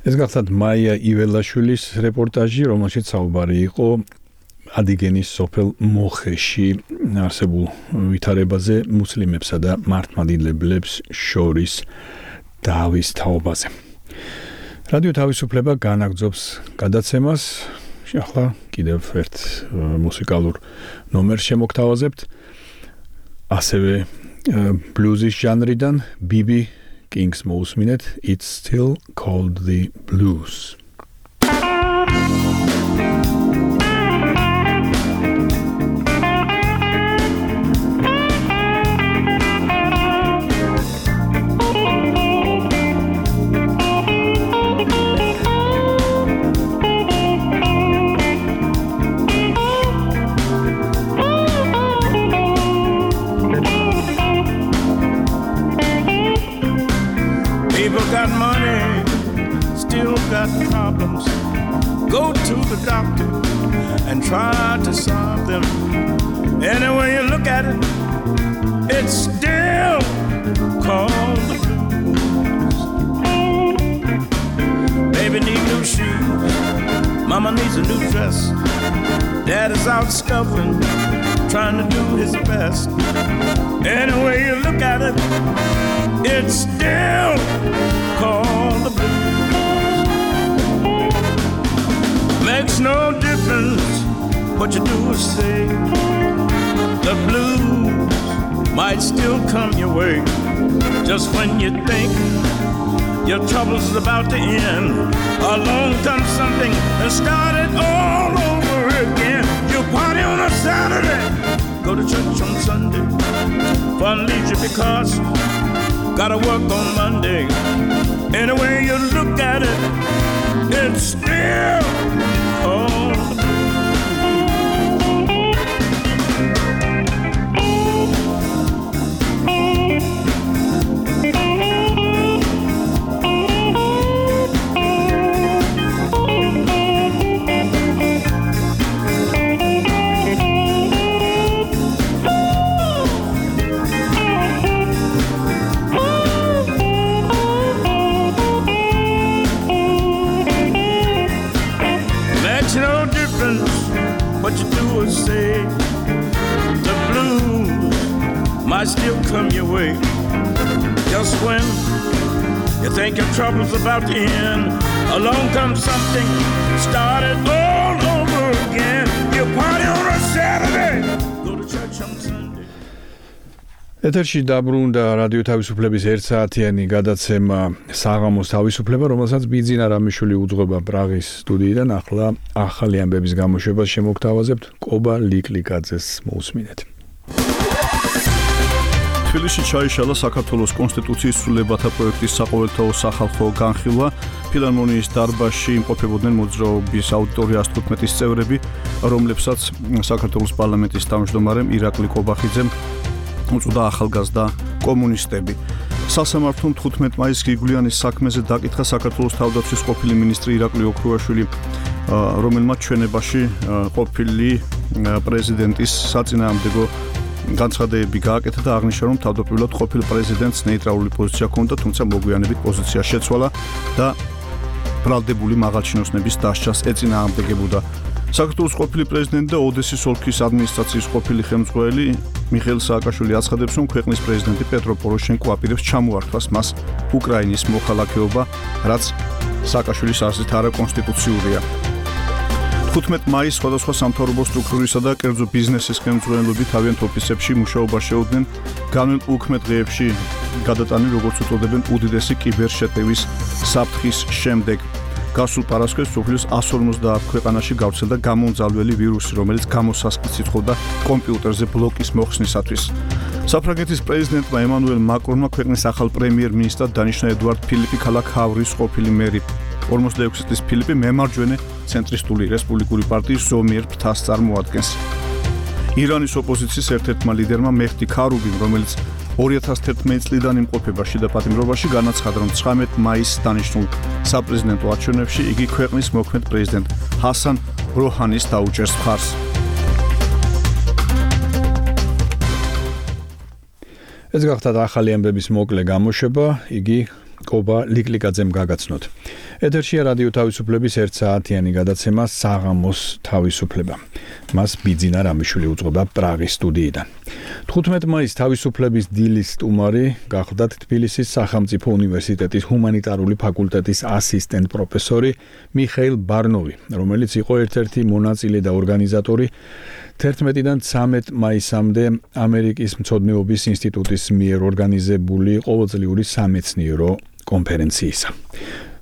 ეს გახლავთ მაია იველაშვილის რეპორტაჟი, რომელშიც საუბარი იყო ადიგენის სოფელ მოხეში არსებულ ვითარებაზე მუსლიმებსა და მართლმადიდებლებს შორის დავის თაობაზე. რადიო თავისუფლება განაგრძობს გადაცემას. ახლა კიდევ ერთ მუსიკალურ ნომერს შემოგთავაზებთ. ასევე ბლუზის ჟანრიდან BB King's მოусმინეთ It's Still Called the Blues. Got money, still got problems. Go to the doctor and try to solve them. Any way you look at it, it's still called the blues. Baby needs new shoes, mama needs a new dress. Dad is out scuffling, trying to do his best. Any way you look at it, it's still called the blues. Makes no difference what you do or say. The blues might still come your way. Just when you think your trouble's about to end, along comes something and start it all over again. You party on a Saturday, go to church on Sunday, fun leisure because gotta work on Monday. Any way you look at it, it's still called the blues. What you do or say, the blues might still come your way. Just when you think your trouble's about to end, along comes something started all over again. You party on a Saturday, go to church on Sunday. ეთერში დაბრუნდა რადიო თავისუფლების 1 საათიანი გადაცემა საღამოს თავისუფლება, რომელსაც ბიძინა რამიშვილი უძღვება პრაღის სტუდიიდან. ახლა ახალი ამბების გამოშვებას შემოგთავაზებთ. კობა ლიკლიკაძეს მოусმინეთ. თბილისში ჩაიშალა საქართველოს კონსტიტუციის ცვლილებათა პროექტის საყოველთაო სახალხო განხილვა. ფილარმონიის დარბაზში იმყოფებოდნენ მოძრაობის აუდიტორია 115-ის წევრები, რომლებსაც საქართველოს პარლამენტის თავმჯდომარემ ირაკლი კობახიძემ უწოდა ახალგაზრდა კომუნისტები. სასამართლომ 15 მაისს გიგვლიანის საქმეზე დაკითხა საქართველოს თავდაცვის ყოფილი მინისტრი ირაკლი ოქრუაშვილი, რომელმაც ჩვენებაში ყოფილი პრეზიდენტის საწინააღმდეგო განცხადებები გააკეთა და აღნიშნა, რომ თავდაპირველად ყოფილ პრეზიდენტს ნეიტრალური პოზიცია ჰქონდა, თუმცა მოგვიანებით პოზიცია შეცვალა და ბრალდებული მაღალჩინოსნების დასჯას ეწინააღმდეგებოდა. საქართველოს ყოფილი პრეზიდენტი და ოდესის ოლქის ადმინისტრაციის ყოფილი ხელმძღვანელი მიხეილ სააკაშვილი აცხადებს, რომ ქვეყნის პრეზიდენტი პეტრო პოროშენკო აპირებს ჩამოართვას მას უკრაინის მოქალაქეობა, რაც სააკაშვილის აზრით არაკონსტიტუციურია. 15 მაისს სხვადასხვა სამთავრობო სტრუქტურისა და კერძო ბიზნესის ხელმძღვანელები თავიანთ ოფისებში მუშაობას შეუდგნენ განვლილ 15 დღეებში გადატანილ, როგორც უწოდებენ, უდიდესი კიბერშეტევის საფრთხის შემდეგ. გასულ პარასქეს სოფლის 150 ქვეყანაში გავრცელდა გამომძალველი ვირუსი, რომელიც გამოსასყიდს ითხოვდა კომპიუტერზე ბლოკის მოხსნისათვის. საფრანგეთის პრეზიდენტმა ემანუელ მაკრონმა ქვეყნის ახალ პრემიერ-მინისტრად დანიშნა ედუარდ ფილიპი ქალაქ ჰავრის ყოფილი მერი. 46 წლის ფილიპი მემარჯვენე ცენტრისტული რესპუბლიკური პარტიის ზომიერ ფრთას წარმოადგენს. ირანის ოპოზიციის ერთ-ერთმა ლიდერმა მეჰდი ქარუბიმ, რომელიც 2011 წლიდან იმყოფება შიდა პატიმრობაში, განაცხადა, რომ 19 მაისს დანიშნულ საპრეზიდენტო არჩევნებში იგი ქვეყნის მოქმედ პრეზიდენტ ჰასან როჰანის დაუჭერს მხარს. ეს გახდა ახალი ამბების მოკლე გამოშვება, იგი კობა ლიკლიკაძემ გაგაცნოთ. ეთერშია რადიო თავისუფლების 1 საათიანი გადაცემა საღამოს თავისუფლება. მას ბიძინა რამიშვილი უძღვება პრაღის სტუდიიდან. 15 მაისს თავისუფლების დილის სტუმარი გახლდათ თბილისის სახელმწიფო უნივერსიტეტის ჰუმანიტარული ფაკულტეტის ასისტენტ პროფესორი მიხეილ ბარნოვი, რომელიც იყო ერთ-ერთი მონაწილე და ორგანიზატორი 11-დან 13 მაისამდე ამერიკის მცოდნეობის ინსტიტუტის მიერ ორგანიზებული ყოველწლიური სამეცნიერო კონფერენციისა.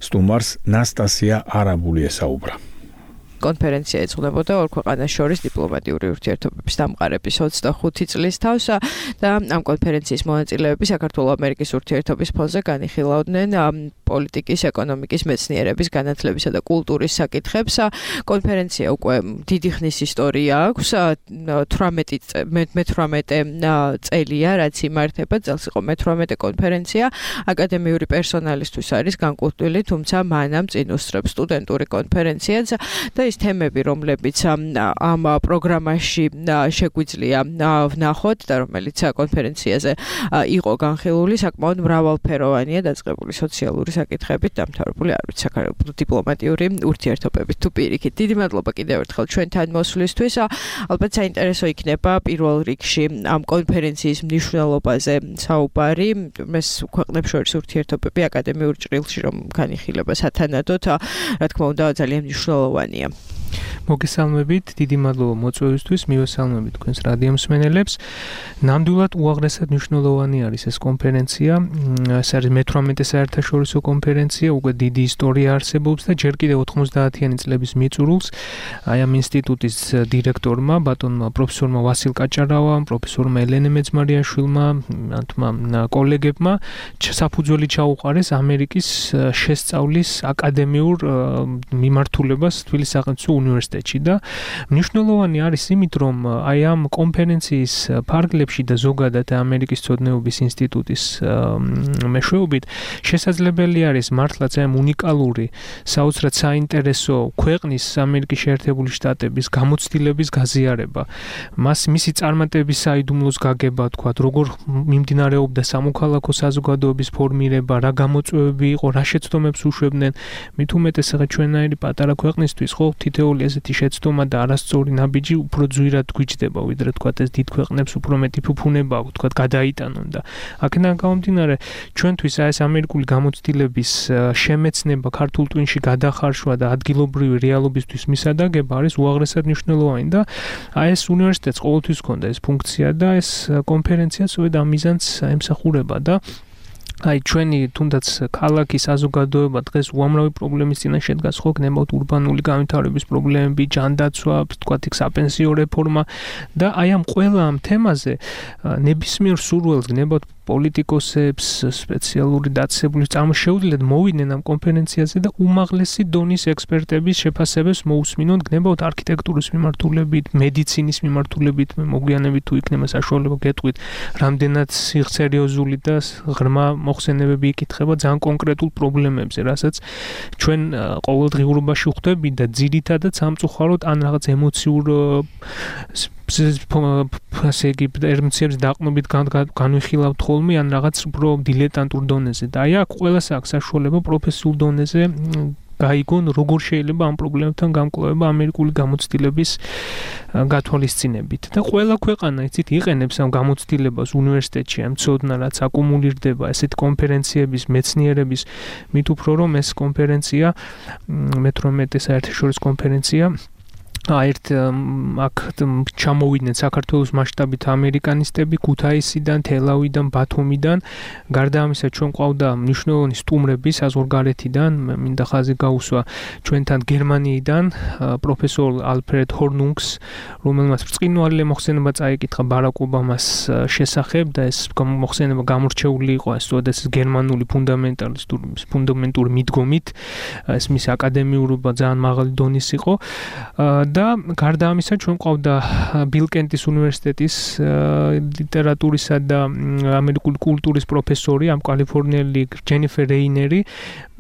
სტუმარს ნასტასია არაბული ესაუბრა. კონფერენცია ეძღვნებოდა ორ ქვეყანას შორის დიპლომატიური ურთიერთობების დამყარების 25 წლის თავს და ამ კონფერენციის მონაწილეები საქართველო-ამერიკის ურთიერთობის ფონზე განიხილავდნენ პოლიტიკის, ეკონომიკის, მეცნიერების, განათლებისა და კულტურის საკითხებს. კონფერენცია უკვე დიდი ხნის ისტორია აქვს, 18 წელია, რაც იმართება, წელს იყო მე-18 კონფერენცია. აკადემიური პერსონალისთვის არის განკუთვნილი, თუმცა მანამ წინ უსწრებს სტუდენტური კონფერენციაც და ის თემები, რომლებიც ამ პროგრამაში შეგვიძლია ვნახოთ და რომელიც კონფერენციაზე იყო განხილული, საკმაოდ მრავალფეროვანია, დაწყებული სოციალური საკითხებით, დამთავრებული არ ვიცი საქართველოს დიპლომატიური ურთიერთობებით თუ პირიქით. დიდი მადლობა კიდევ ერთხელ ჩვენთან მოსვლისთვის. ალბათ საინტერესო იქნება პირველ რიგში ამ კონფერენციის მნიშვნელობაზე საუბარი, ეს ქვეყნებს შორის ურთიერთობები აკადემიურ ჭრილში რომ განიხილება სათანადოდ, რა თქმა უნდა, ძალიან მნიშვნელოვანია. მოგესალმებით, დიდი მადლობა მოწვევისთვის, მივესალმებით თქვენს რადიო მსმენელებს. ნამდვილად უაღრესად მნიშვნელოვანი არის ეს კონფერენცია. ეს არის მე-18 საერთაშორისო კონფერენცია, უკვე დიდი ისტორია არსებობს და ჯერ კიდევ 90-იანი წლების მიწურულს აი ამ ინსტიტუტის დირექტორმა, ბატონმა პროფესორმა ვასილ კაჭარავამ, პროფესორმა ელენე მეძმარიაშვილმა, მათმა კოლეგებმა საფუძველი ჩაუყარეს ამერიკის შესწავლის აკადემიურ მიმართულებას თბილისის სახელმწიფო უნივერსიტეტში და მნიშვნელოვანი არის იმით, რომ აი ამ კონფერენციის ფარგლებში და ზოგადად ამერიკის მცოდნეობის ინსტიტუტის მეშვეობით შესაძლებელი არის მართლაც ამ უნიკალური, საოცრად საინტერესო ქვეყნის ამერიკის შეერთებული შტატების გამოცდილების გაზიარება. მისი წარმატების საიდუმლოს გაგება, თქვათ, როგორ მიმდინარეობდა სამოქალაქო საზოგადოების ფორმირება, რა გამოწვევები იყო, რა შეცდომებს უშვებდნენ, მით უმეტეს ჩვენ ჩვენაირი პატარა ქვეყნისთვის ხო თითოეული თითოეული ესეთი შეცდომა და არასწორი ნაბიჯი უფრო ძვირად გვიჯდება, ვიდრე თქვათ ეს დიდ ქვეყნებს უფრო მეტი ფუფუნება აქვს, თქვათ გადაიტანონ და აქედან გამომდინარე ჩვენთვის ეს ამერიკული გამოცდილების შემეცნება ქართულ ტვინში გადახარშვა და ადგილობრივი რეალობისთვის მისადაგება არის უაღრესად მნიშვნელოვანი და ეს უნივერსიტეტს ყოველთვის ჰქონდა ეს ფუნქცია და ეს კონფერენცია სწორედ ამ მიზანს ემსახურება და ჩვენი თუნდაც ქალაქის საზოგადოება დღეს უამრავი პრობლემის წინაშე შედგას ხო გნებავთ ურბანული განვითარების პრობლემები, ჯანდაცვა, თქვათ იქ საპენსიო რეფორმა და ამ ყველა ამ თემაზე ნებისმიერ სურვილს გნებავთ პოლიტიკოსებს, სპეციალური დაწესებულის წარმოშეუდგენლად მოვიდნენ ამ კონფერენციაზე და უმაღლესი დონის ექსპერტების შეფასებებს მოусმინონ გნებავთ არქიტექტურის მიმართულებით, მედიცინის მიმართულებით, მოგვიანებით თუ იქნება საშუალება გეტყვით, რამდენად სერიოზული და ღრმა მოხსენებები იკითხება ძალიან კონკრეტულ პრობლემებზე, რასაც ჩვენ ყოველდღიურობაში ვხვდებით და ძირითადად სამწუხაროდ ან რაღაც ემოციურ ასე იგი ემოციების დაყრდნობით განვიხილავთ ხოლმე ან რაღაც უფრო დილეტანტურ დონეზე და აქ ყველას აქვს საშუალება პროფესიულ დონეზე გაიგონ როგორ შეიძლება ამ პრობლემებთან გამკლავება ამერიკული გამოცდილების გათვალისწინებით და ყველა ქვეყანა იცით იყენებს ამ გამოცდილებას უნივერსიტეტში ამ ცოდნა რაც აკუმულირდება ესეთ კონფერენციების მეცნიერების მით უფრო რომ ეს კონფერენცია მე-18 საერთაშორისო კონფერენცია ერთ აქ ჩამოვიდნენ საქართველოს მასშტაბით ამერიკანისტები ქუთაისიდან, თელავიდან, ბათუმიდან. გარდა ამისა ჩვენ ყავდა მნიშვნელოვანი სტუმრები საზღვარგარეთიდან, მინდა ხაზი გაუსვა ჩვენთან გერმანიიდან პროფესორ ალფრედ ჰორნუნგს, რომელმაც ბრწყინვალე მოხსენება წაიკითხა ბარაკ ობამას შესახებ და ეს მოხსენება გამორჩეული იყო ეს გერმანული ფუნდამენტური მიდგომით, ეს მის აკადემიურობა ძალიან მაღალი დონის იყო. და გარდა ამისა ჩვენ ყავდა ბილკენტის უნივერსიტეტის ლიტერატურისა და ამერიკული კულტურის პროფესორი, ამ კალიფორნიელი ჯენიფერ რეინერი.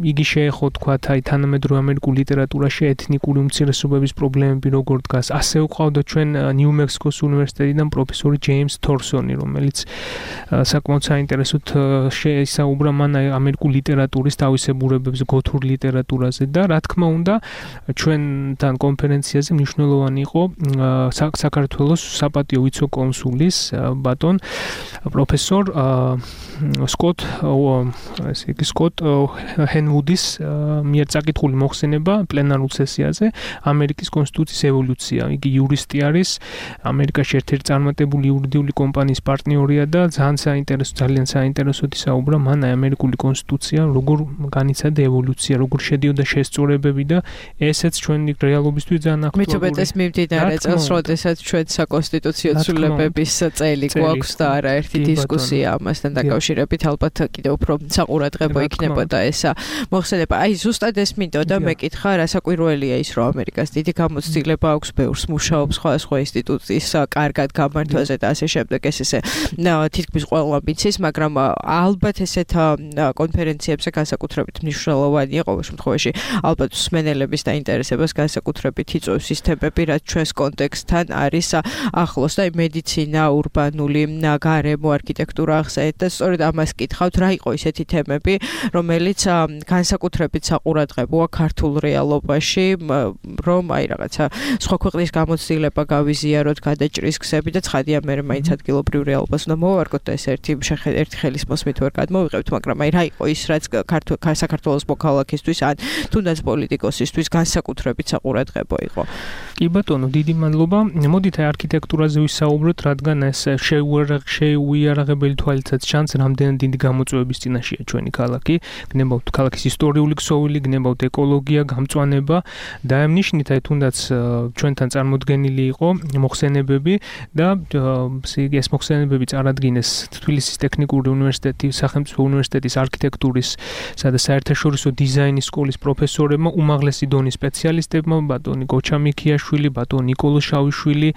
იგი შეეხო თქვათ თანამედროვე ამერიკულ ლიტერატურაში ეთნიკური უმცირესობების პრობლემები როგორ დგას. ასევე ყავდა ჩვენ ნიუ-მექსიკოს უნივერსიტეტიდან პროფესორი ჯეიმს თორსონი, რომელიც საკმაოდ საინტერესოდ შეისაუბრა მან ამერიკულ ლიტერატურის თავისებურებებზე, გოთურ ლიტერატურაზე და რა თქმა უნდა ჩვენთან კონფერენციაზე მნიშვნელოვანი იყო საქართველოს საპატიო ვიცე-კონსულის ბატონ პროფესორ სკოტ ჰენვუდის მიერ წაკითხული მოხსენება პლენარულ სესიაზე ამერიკის კონსტიტუციის ევოლუცია. იგი იურისტი არის, ამერიკაში ერთ-ერთი წარმატებული იურიდიული კომპანიის პარტნიორია და ძალიან საინტერესოდ ისაუბრა მან ამერიკული კონსტიტუცია როგორ განიცადა ევოლუცია, როგორ შედიოდა შესწორებები და ესეც ჩვენი რეალობისთვის ძალიან აქტუალური. მithumetes მიმდინარე წელს, როდესაც ჩვენ საკონსტიტუციო ცვლილებების წელი გვაქვს და არაერთი დისკუსია ამასთან დაკავშირებით, ალბათ კიდევ უფრო საყურადღებო იქნებოდა ესა მოხსენება. აი ზუსტად ეს მინდოდა მეკითხა, რასაკვირველია ის, რომ ამერიკას დიდი გამოცდილება აქვს, ბევრს მუშაობს სხვადასხვა ინსტიტუციის კარგად გამართვაზე და ასე შემდეგ. ეს ესე თითქმის ყველა მიცის, მაგრამ ალბათ ესეთ კონფერენციებზე განსაკუთრებით მნიშვნელოვანია ყოველ შემთხვევაში ალბათ მსმენელების დაინტერესებას განსაკუთრებით იწვევს ის თემები, რაც ჩვენს კონტექსტთან არის ახლოს და მედიცინა, ურბანული გარემო, არქიტექტურა ახსენეთ და სწორედ ამას კითხავთ, რა იყო ისეთი თემები, რომელიც განსაკუთრებით საყურადღებოა ქართულ რეალობაში, რომ აი რაღაცა სხვა ქვეყნის გამოცდილება გავიზიაროთ, გადაჭრის გზები და ცხადია მე მაინც ადგილობრივ რეალობას უნდა მოვარგოთ და ეს ერთი ხელის მოსმით ვერ გადმოვიღებთ, მაგრამ აი რა იყო ის, რაც საქართველოს მოქალაქისთვის ან თუნდაც პოლიტიკოსისთვის განსაკუთრებით საყურადღებო იყო. კი ბატონო, დიდი მადლობა. მოდით აი არქიტექტურაზე ვისაუბროთ, რადგან ეს შეუიარაღებელი თვალითაც ჩანს, რამდენად დიდი გამოწვევების წინაშეა ჩვენი ქალაქი. გნებავთ ქალაქის ისტორიული ქსოვილი, გნებავთ ეკოლოგია, გამწვანება და ამ ნიშნით აი თუნდაც ჩვენთან წარმოდგენილი იყო მოხსენებები და ეს მოხსენებები წარადგინეს თბილისის ტექნიკური უნივერსიტეტის, სახელმწიფო უნივერსიტეტის არქიტექტურის და საერთაშორისო დიზაინის სკოლის პროფესორებმა, უმაღლესი დონის სპეციალისტებმა, ბატონი გოჩამიქი ლექიაშვილი, ბატონ ნიკოლოზ შავიშვილი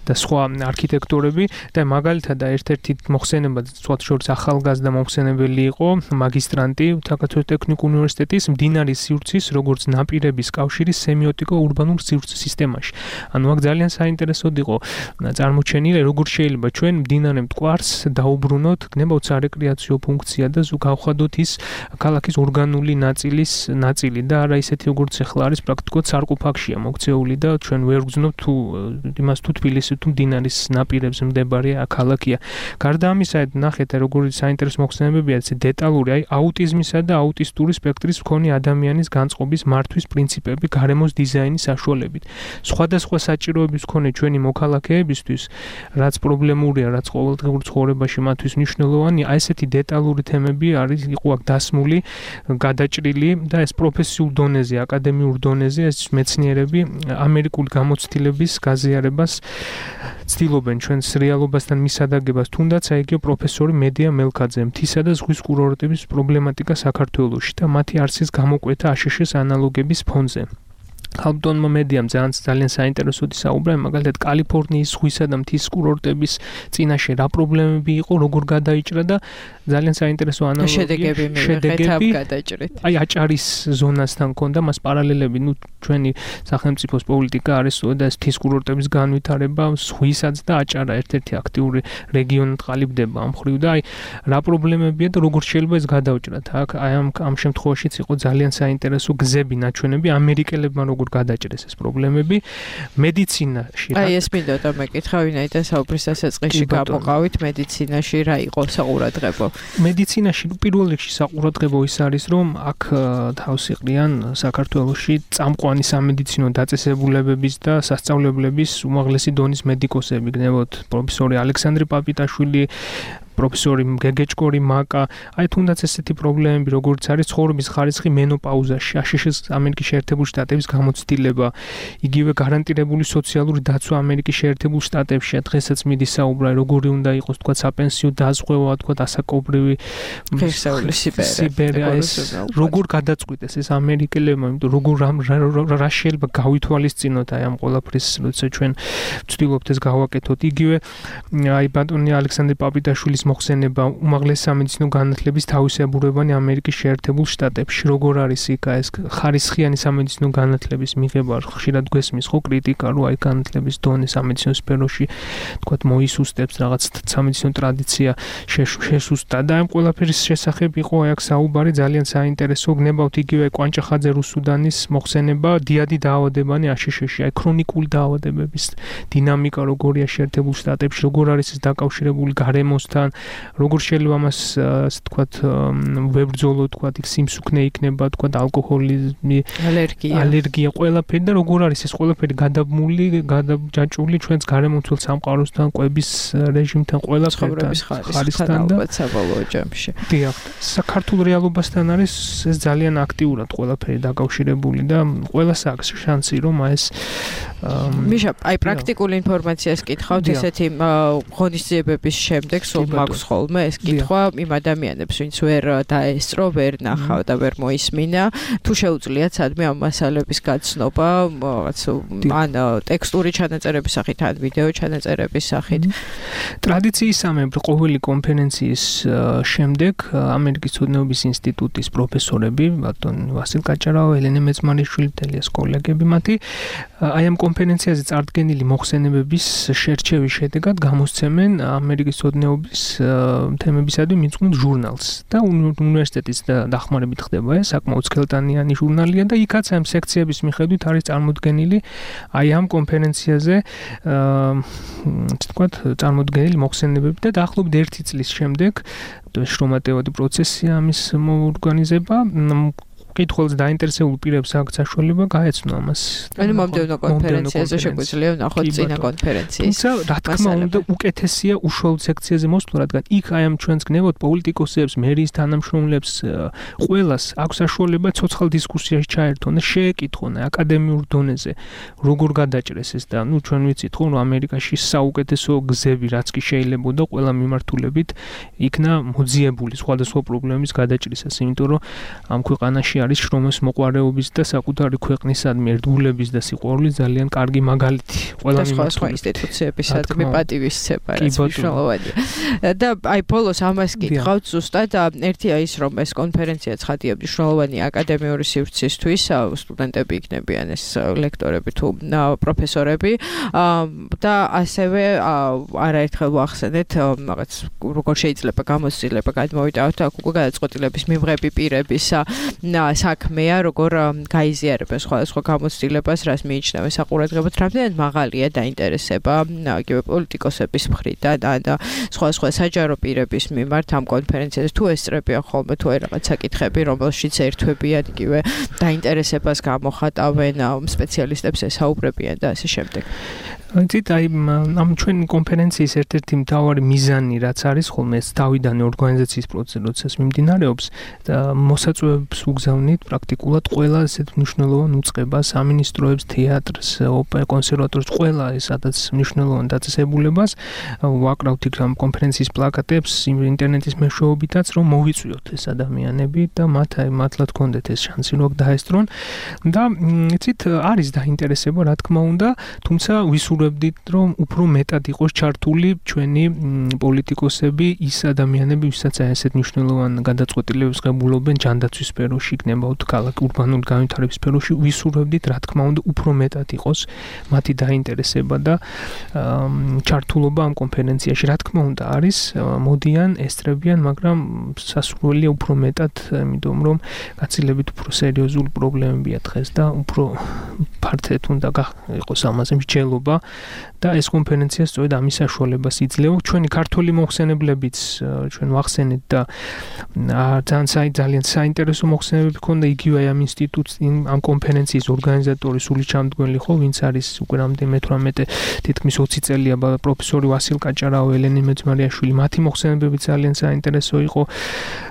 და სხვა არქიტექტორები და მაგალითად ერთ-ერთი მოხსენება სხვათა შორის ახალგაზრდა მომხსენებელი იყო მაგისტრანტი საქართველოს ტექნიკურ უნივერსიტეტის მდინარის სივრცის როგორც ნაპირების კავშირის სემიოტიკო-ურბანულ სივრცის სისტემაში. ანუ აქ ძალიან საინტერესოდ იყო წარმოჩენილი, როგორ შეიძლება ჩვენ მდინარე მტკვარს დაუბრუნოთ, გნებავთ სარეკრეაციო ფუნქცია და გავხადოთ ის ქალაქის ორგანული ნაწილი და არა ისეთი როგორც ახლა არის პრაქტიკულად სარკოფაგშია მოქცეული და ჩვენ ვერ გძნობთ თუ იმას თუ თბილისი თუ მდინარის ნაპირებზე მდებარე ქალაქია. გარდა ამისა, ნახეთ როგორი საინტერესო მოხსენებებია, ეს დეტალური, აი აუტიზმისა და აუტისტური სპექტრის მქონე ადამიანის განწყობის მართვის პრინციპები გარემოს დიზაინის საშუალებით. სხვადასხვა საჭიროების მქონე ჩვენი მოქალაქეებისთვის, რაც პრობლემურია, რაც ყოველდღიურ ცხოვრებაში მათთვის მნიშვნელოვანია, აი ესეთი დეტალური თემები იყო აქ დასმული, გადაჭრილი და ეს პროფესიულ დონეზე, აკადემიურ დონეზე ეს მეცნიერები ამერიკული გამოცდილების გაზიარებას ცდილობენ ჩვენს რეალობასთან მისადაგებას, თუნდაც აი იგივე პროფესორი მედია მელქაძე მთისა და ზღვის კურორტების პრობლემატიკა საქართველოში და მათი არსის გამოკვეთა აშშ-ის ანალოგების ფონზე. ხალბტონმა მედიამ ძალიან საინტერესოდი საუბრა, მაგალითად კალიფორნიის ზღვისა და მთის კურორტების წინაშე რა პრობლემები იყო, როგორ გადაიჭრა და ძალიან საინტერესო ანალოგია. შედეგები გადაჭრით. აი აჭარის ზონასთან ქონდა მას პარალელები, ჩვენი სახელმწიფოს პოლიტიკა არის და მთის კურორტების განვითარება, ზღვისაც და აჭარა ერთ-ერთი აქტიური რეგიონად ყალიბდება ამ მხრივ და აი რა პრობლემებია და როგორ შეიძლება ეს გადაუჭრათ. აქ აი ამ შემთხვევაშიც იყო ძალიან საინტერესო გზები, ნაჩვენები ამერიკელებმა როგორ გადაჭრეს ეს პრობლემები მედიცინაში. აი ეს მინდოდა მეკითხა, ვინაიდან საუბრის დასაწყისში გამოყავით მედიცინაში რა იყო საყურადღებო? მედიცინაში პირველ რიგში საყურადღებო ის არის, რომ აქ თავს იყრიან საქართველოში წამყვანი სამედიცინო დაწესებულებების და სასწავლებლების უმაღლესი დონის მედიკოსები, გნებავთ პროფესორი ალექსანდრე პაპიტაშვილი, პროფესორი გეგეჭკორი მაკა, აი თუნდაც ესეთი პრობლემები, როგორც არის ცხოვრების ხარისხი მენოპაუზაში, აშშ-ის ამერიკის შეერთებული შტატების გამოცდილება, იგივე გარანტირებული სოციალური დაცვა ამერიკის შეერთებულ შტატებში, დღესაც მიდის საუბარი, როგორი უნდა იყოს, თქვა საპენსიო დაზღვევა, თქვა ასაკობრივი ღირსეული სიბერე, ეს როგორ გადაწყვიტეს ეს ამერიკელებმა, იმიტომ როგორ რა შეიძლება გავითვალისწინოთ აი ამ ყველაფრის, როცა ჩვენ ვცდილობთ ეს გავაკეთოთ. იგივე აი ბატონი ალექსანდრე პაპიტაშვილის მოხსენება უმაღლესი სამედიცინო განათლების თავისებურებანი ამერიკის შეერთებულ შტატებში, როგორ არის იქ ეს ხარისხიანი სამედიცინო განათლების მიღება, ხშირად გვესმის ხო კრიტიკა, რომ აი განათლების დონე სამედიცინო სფეროში თქვათ მოისუსტებს, რაღაც სამედიცინო ტრადიცია შესუსტა და ამ ყველაფერის შესახებ იყო აი აქ საუბარი ძალიან საინტერესო, გნებავთ იგივე კვანჭახაძე რუსუდანის მოხსენება, დიადი დაავადებანი აშშ-ში, აი ქრონიკული დაავადებების დინამიკა როგორია შეერთებულ შტატებში, როგორ არის ეს დაკავშირებული გარემოსთან, როგორ შეიძლება ამას ასე თქვათ ვებრძოლო, თქვათ იქ სიმსუქნე იქნება, თქვათ ალკოჰოლიზმი, ალერგია, ყველაფერი და როგორ არის ეს ყველაფერი გადაბმული, გადაჯაჭვული ჩვენს გარემომცველ სამყაროსთან, კვების რეჟიმთან, ყველაფერთან, ხარისხთან და საბოლოო ჯამში. დიახ, საქართველოს რეალობასთან არის ეს ძალიან აქტიურად ყველაფერი დაკავშირებული და ყველას აქვს შანსი რომ ეს მიშა, აი პრაქტიკული ინფორმაციას კითხავთ, ესეთი ღონისძიებების შემდეგ სულ მაქვს ხოლმე ეს კითხვა იმ ადამიანებს, ვინც ვერ დაესწრო, ვერ ნახავ და ვერ მოისმინა, თუ შეუძლიათ სადმე ამ მასალების გაცნობა, რაღაც ან ტექსტური ჩანაწერების სახით, ან ვიდეო ჩანაწერების სახით. ტრადიციისამებრ ყოველი კონფერენციის შემდეგ ამერიკის ცოდნეობის ინსტიტუტის პროფესორები, ბატონი ვასილ კაჭარავა, ელენე მეწმარიშვილი, თელიას კოლეგები მათი, აი ამ კონფერენციაზე წარდგენილი მოხსენებების შერჩევის შედეგად გამოსცემენ ამერიკის ცოდნეობის თემებისადმი მიძღვნილ ჟურნალს და უნივერსიტეტის დახმარებით ხდება ეს საკმაოდ სქელტანიანი ჟურნალია და იქაც ამ სექციების მიხედვით არის წარმოდგენილი აი ამ კონფერენციაზე თქვათ წარმოდგენილი მოხსენებები და დაახლოებით 1 წლის შემდეგ შრომატევადი პროცესია ამის მოორგანიზება კითხულს დაინტერესებულ პირებს აქვს საშუალება გაეცნო ამას. ანუ მომდევნო კონფერენციაზე შეგვიძლია ვნახოთ წინა კონფერენციის. თუმცა რა თქმა უნდა უკეთესია უშუალოდ სექციაზე მოსვლა, რადგან იქ აი ამ ჩვენს გნებოთ პოლიტიკოსებს, მერიის თანამშრომლებს, ყველას აქვს საშუალება ცოცხალ დისკუსიაში ჩაერთონ და შეეკითხონ აკადემიურ დონეზე როგორ გადაჭრეს ეს და ნუ ჩვენ ვიცით ხო რომ ამერიკაში საუკეთესო გზები რაც კი შეიძლება და ყველა მიმართულებით იქნა მოძიებული სხვადასხვა პრობლემის გადაჭრისას, იმიტომ რომ ამ ქვეყანაში არის შრომის მოყვარეობის და საკუთარი ქვეყნისადმი ერთგულების და სიყვარულის ძალიან კარგი მაგალითი. ყველა სხვა ინსტიტუციებისადმი პატივისცემა რაც მნიშვნელოვანია. და აი ბოლოს ამას გითხავთ ზუსტად ერთია ის რომ ეს კონფერენცია ცხადია მნიშვნელოვანი აკადემიური სივრცისთვის სტუდენტები იქნებიან ეს ლექტორები თუ პროფესორები და ასევე არაერთხელ ვახსენეთ რაღაც როგორ შეიძლება გამოცდილება გადმოვიტანოთ აქ უკვე გადაწყვეტილების მიღების პირების საქმეა როგორ გაიზიარებენ სხვადასხვა გამოცდილებას რას მიიჩნევენ საყურადღებოდ რამდენად მაღალია დაინტერესება იგივე პოლიტიკოსების მხრიდან და სხვადასხვა საჯარო პირების მიმართ ამ კონფერენციაზე თუ ესწრებიან ხოლმე თუ აი რაღაც საკითხები რომელშიც ერთვებიან იგივე დაინტერესებას გამოხატავენ სპეციალისტებს ესაუბრებიან და ასე შემდეგ. იცით აი ამ ჩვენი კონფერენციის ერთ-ერთი მთავარი მიზანი რაც არის ხოლმე ეს თავიდან ორგანიზაციის პროცესს მიმდინარეობს და მოსაწვევებს უგზავნით პრაქტიკულად ყველა ესეთ მნიშვნელოვან უწყებას, სამინისტროებს, თეატრს, ოპერა კონსერვატორს, ყველა სადაც მნიშვნელოვან დაწესებულებას ვაკრავთ იქ ამ კონფერენციის პლაკატებს ინტერნეტის მეშვეობითაც რომ მოვიწვიოთ ეს ადამიანები და მათლად გქონდეთ ეს შანსი რომ დაესწრონ და იცით არის დაინტერესება რა თქმა უნდა თუმცა ვისურვებდით რომ უფრო მეტად იყოს ჩართული ჩვენი პოლიტიკოსები ის ადამიანები ვისაც ასეთ მნიშვნელოვან გადაწყვეტილებებს ღებულობენ ჯანდაცვის სფეროში იქნება თუ ქალაქ ურბანული განვითარების სფეროში ვისურვებდით რა თქმა უნდა უფრო მეტად იყოს მათი დაინტერესება და ჩართულობა ამ კონფერენციაში რა თქმა უნდა არის მოდიან ესწრებიან მაგრამ სასურველია უფრო მეტად იმიტომ რომ გაცილებით უფრო სერიოზული პრობლემებია დღეს და უფრო ფართედ უნდა იყოს ამაზე მსჯელობა და ეს კონფერენცია სწორედ ამის საშუალებას იძლევა ჩვენი ქართველი მოხსენებლებიც ჩვენ ვახსენეთ და ძალიან საინტერესო მოხსენებები ქონდა იგივე ამ ამ კონფერენციის ორგანიზატორი სულისჩამდგმელი ხო ვინც არის უკვე რამდენიმე 18 თითქმის 20 წელია პროფესორი ვასილ კაჭარავი ელენე მეძმარიაშვილი მათი მოხსენებები ძალიან საინტერესო იყო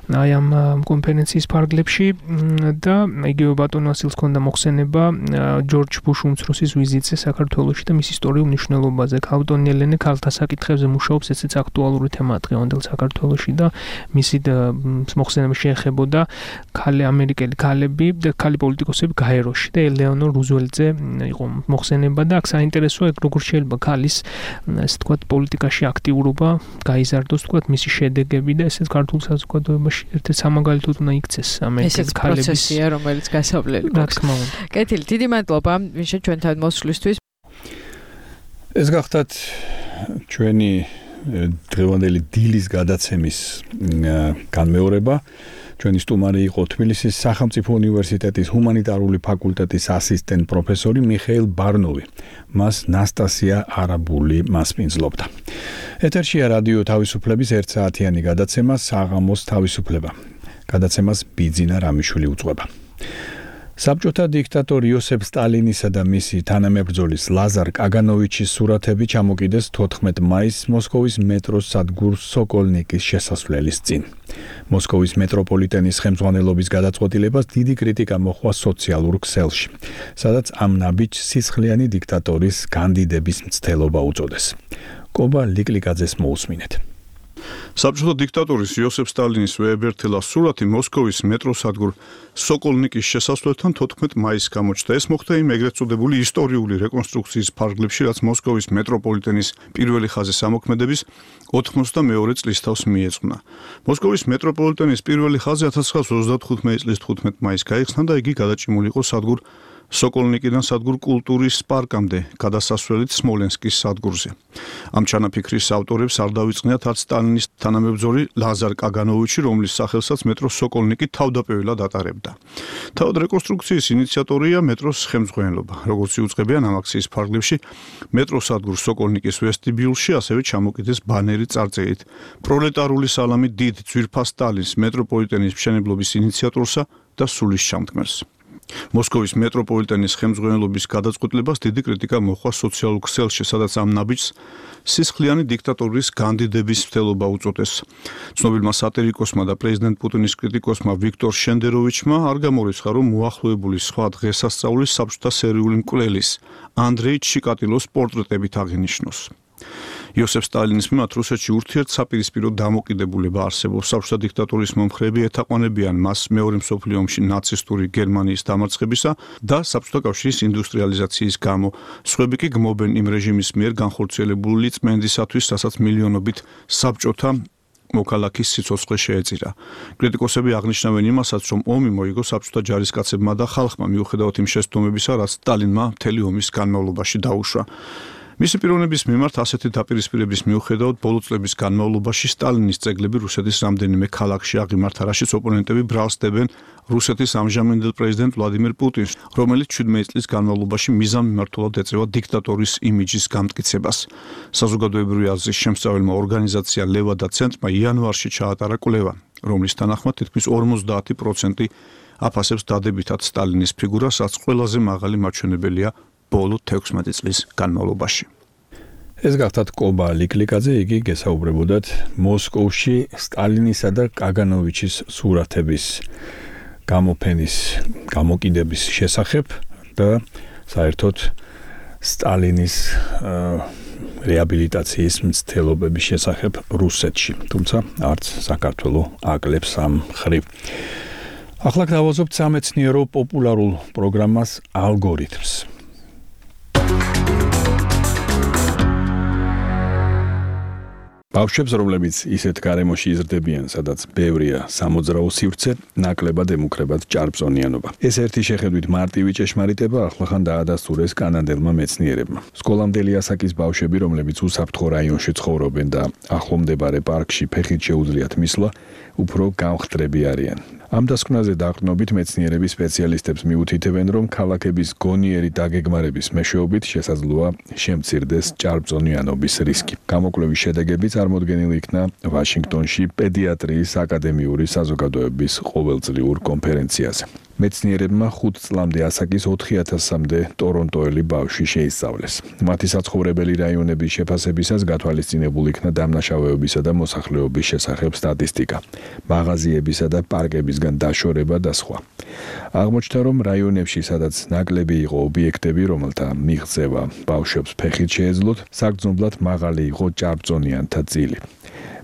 აი ამ კონფერენციის ფარგლებში და იგივე ბატონ ვასილს ქონდა მოხსენება ჯორჯ ბუშ უმცროსის ვიზიტზე საქართველოში და მის ისტორიულ მნიშვნელობაზე ქალბატონი ელენე ქალთა საკითხებზე მუშაობს ესეც აქტუალური თემაა დღევანდელ საქართველოში და მისი მოხსენება შეეხებოდა ამერიკელი ქალები და ქალი პოლიტიკოსები გაეროში და ელეონორ რუზველტზე იყო მოხსენება და აქ საინტერესოა როგორ შეიძლება ქალის ასე ვთქვათ პოლიტიკაში აქტიურობა გაიზარდოს ვთქვათ მისი შედეგები და ესეც ქართულ საზოგადოებაში ერთ-ერთი სამაგალითოდ უნდა იქცეს ამერიკელი ქალების პროცესია რომელიც გასავლელი რა თქმა უნდა. კეთილი დიდი მადლობა ვინჩა ჩვენთან მოსვლისთვის. ეს გახდათ ჩვენი დღევანდელი დილის გადაცემის განმეორება. ჩვენი სტუმარი იყო თბილისის სახელმწიფო უნივერსიტეტის ჰუმანიტარული ფაკულტეტის ასისტენტ პროფესორი მიხეილ ბარნოვი. მას ნასტასია არაბული მასპინძლობდა. ეთერშია რადიო თავისუფლების 1 საათიანი გადაცემა საღამოს თავისუფლება. გადაცემას ბიძინა რამიშვილი უძღვება. საბჭოთა დიქტატორ იოსებ სტალინისა და მისი თანამებრძოლის ლაზარ კაგანოვიჩის სურათები ჩამოკიდეს 14 მაისს მოსკოვის მეტროს სადგურ სოკოლნიკის შესასვლელის წინ. მოსკოვის მეტროპოლიტენის ხელმძღვანელობის გადაწყვეტილებას დიდი კრიტიკა მოჰყვა სოციალურ ქსელში, სადაც ამ ნაბიჯს სისხლიანი დიქტატორის კანდიდების მცდელობა უწოდეს. კობა ლიკლიკაძეს მოусმინეთ. საბჭოთა დიქტატორის იოსებ სტალინის ვეებერთელა სურათი მოსკოვის მეტროს სადგურ სოკოლნიკის შესასვლელთან 14 მაისს გამოჩნდა. ეს მოხდა იმ ეგრეთ წოდებული ისტორიული რეკონსტრუქციის ფარგლებში, რაც მოსკოვის მეტროპოლიტენის პირველი ხაზის ამოქმედების 92 წლის თავს მიეძღვნა. მოსკოვის მეტროპოლიტენის პირველი ხაზი 1935 წლის 15 მაისს გაიხსნა და იგი გადაჭიმული იყო სადგურ სოკოლნიკიდან სადგურ კულტურის პარკამდე, გადასასვლელით სმოლენსკის სადგურზე. ამ ჩანაფიქრის ავტორებს არ დავიწყნიათ არც სტალინის თანამებრძოლი ლაზარ კაგანოვიჩი, რომლის სახელსაც მეტროს სოკოლნიკი თავდაპირველად ატარებდა. თავად რეკონსტრუქციის ინიციატორია მეტროს ხელმძღვანელობა. როგორც იუწყებიან ამ აქციის ფარგლებში, მეტროს სადგურ სოკოლნიკის ვესტიბიულში ასევე ჩამოკიდეს ბანერი წარწერით პროლეტარული სალამი დიდ ძვირფას სტალინს, მეტროპოლიტენის მშენებლობის ინიციატორსა და სულისჩამდგმელს. მოსკოვის მეტროპოლიტენის ხელმძღვანელობის გადაწყვეტილებას დიდი კრიტიკა მოჰყვა სოციალურ ქსელში, სადაც ამ ნაბიჯს სისხლიანი დიქტატორის კანდიდების მცდელობა უწოდეს. ცნობილმა სატირიკოსმა და პრეზიდენტ პუტინის კრიტიკოსმა ვიქტორ შენდეროვიჩმა არ გამორიცხა, რომ მოახლოებული სხვა დღესასწაულის საბჭოთა სერიული მკვლელის ანდრეი ჩიკატილოს პორტრეტებით აღინიშნოს. იოსებ სტალინის მიმართ რუსეთში ურთიერთსაპირისპირო დამოკიდებულება არსებობს. საბჭოთა დიქტატურის მომხრეები ეთაყვანებიან მას მეორე მსოფლიო ომში ნაცისტური გერმანიის დამარცხებისა და საბჭოთა კავშირის ინდუსტრიალიზაციის გამო. სხვები კი გმობენ იმ რეჟიმის მიერ განხორციელებული წმენდისათვის, რასაც მილიონობით საბჭოთა მოქალაქის სიცოცხლე შეეწირა. კრიტიკოსები აღნიშნავენ იმასაც, რომ ომი მოიგო საბჭოთა ჯარისკაცებმა და ხალხმა მიუხედავად იმ შესტომებისა, რაც სტალინმა მთელი ომის განმავლობაში დაუშვა. მისი პიროვნების მიმართ ასეთი დაპირისპირების მიუხედავად ბოლო წლების განმავლობაში სტალინის ძეგლები რუსეთის რამდენიმე ქალაქში აღიმართა, რაშიც ოპონენტები ბრალსდებენ რუსეთის ამჟამინდელ პრეზიდენტ ვლადიმირ პუტინს, რომელიც 17 წლის განმავლობაში მიზანმიმართულად ეწევა დიქტატორის იმიჯის გამტკიცებას. საზოგადოებრივი აზრის შემსწავლელმა ორგანიზაცია ლევადა ცენტრმა იანვარში ჩაატარა კვლევა, რომლის თანახმად თითქმის 50% აფასებს დადებითად სტალინის ფიგურას, რაც ყველაზე მაღალი მაჩვენებელია ბოლო 16 წლის განმავლობაში. ეს გახდათ კობა ლიკლიკაძე, იგი გესაუბრებოდათ მოსკოვში სტალინისა და კაგანოვიჩის სურათების გამოფენის გამოკიდების შესახებ და საერთოდ სტალინის რეაბილიტაციის მცდელობების შესახებ რუსეთში, თუმცა არც საქართველო აკლებს ამ ხრივ. ახლა გავაზობთ სამეცნიერო პოპულარულ პროგრამას ალგორითმს. ბავშვებს, რომლებიც ისეთ გარემოში იზრდებიან, სადაც ბევრია სამოძრაო სივრცე, ნაკლებად ემუქრებათ ჭარბწონიანობა. ეს ერთი შეხედვით მარტივი ჭეშმარიტება ახლახან დაადასტურეს კანადელმა მეცნიერებმა. სკოლამდელი ასაკის ბავშვები, რომლებიც უსაფრთხო რაიონში ცხოვრობენ და ახლომდებარე პარკში ფეხით შეუძლიათ მისვლა, უფრო გამხდრები არიან. ამ დასკვნაზე დაყრდნობით მეცნიერები სპეციალისტებს მიუთითებენ, რომ ქალაქების გონიერი დაგეგმარების მეშვეობით შესაძლოა შემცირდეს ჭარბწონიანობის რისკი. გამოკვლევის შედეგები წარმოდგენილი იქნა ვაშინგტონში პედიატრიის აკადემიური საზოგადოების ყოველწლიურ კონფერენციაზე. მეცნიერებმა 5 წლამდე ასაკის 4000-მდე ტორონტოელი ბავშვი შეისწავლეს. მათი საცხოვრებელი რაიონების შეფასებისას გათვალისწინებული იქნა დამნაშავეობისა და მოსახლეობის შესახებ სტატისტიკა, მაღაზიებისა და პარკებისგან დაშორება და სხვა. აღმოჩნდა, რომ რაიონებში, სადაც ნაკლები იყო ობიექტები, რომელთა მიღწევა ბავშვებს ფეხით შეეძლოთ, საგრძნობლად მაღალი იყო ჭარბწონიანთა წილი.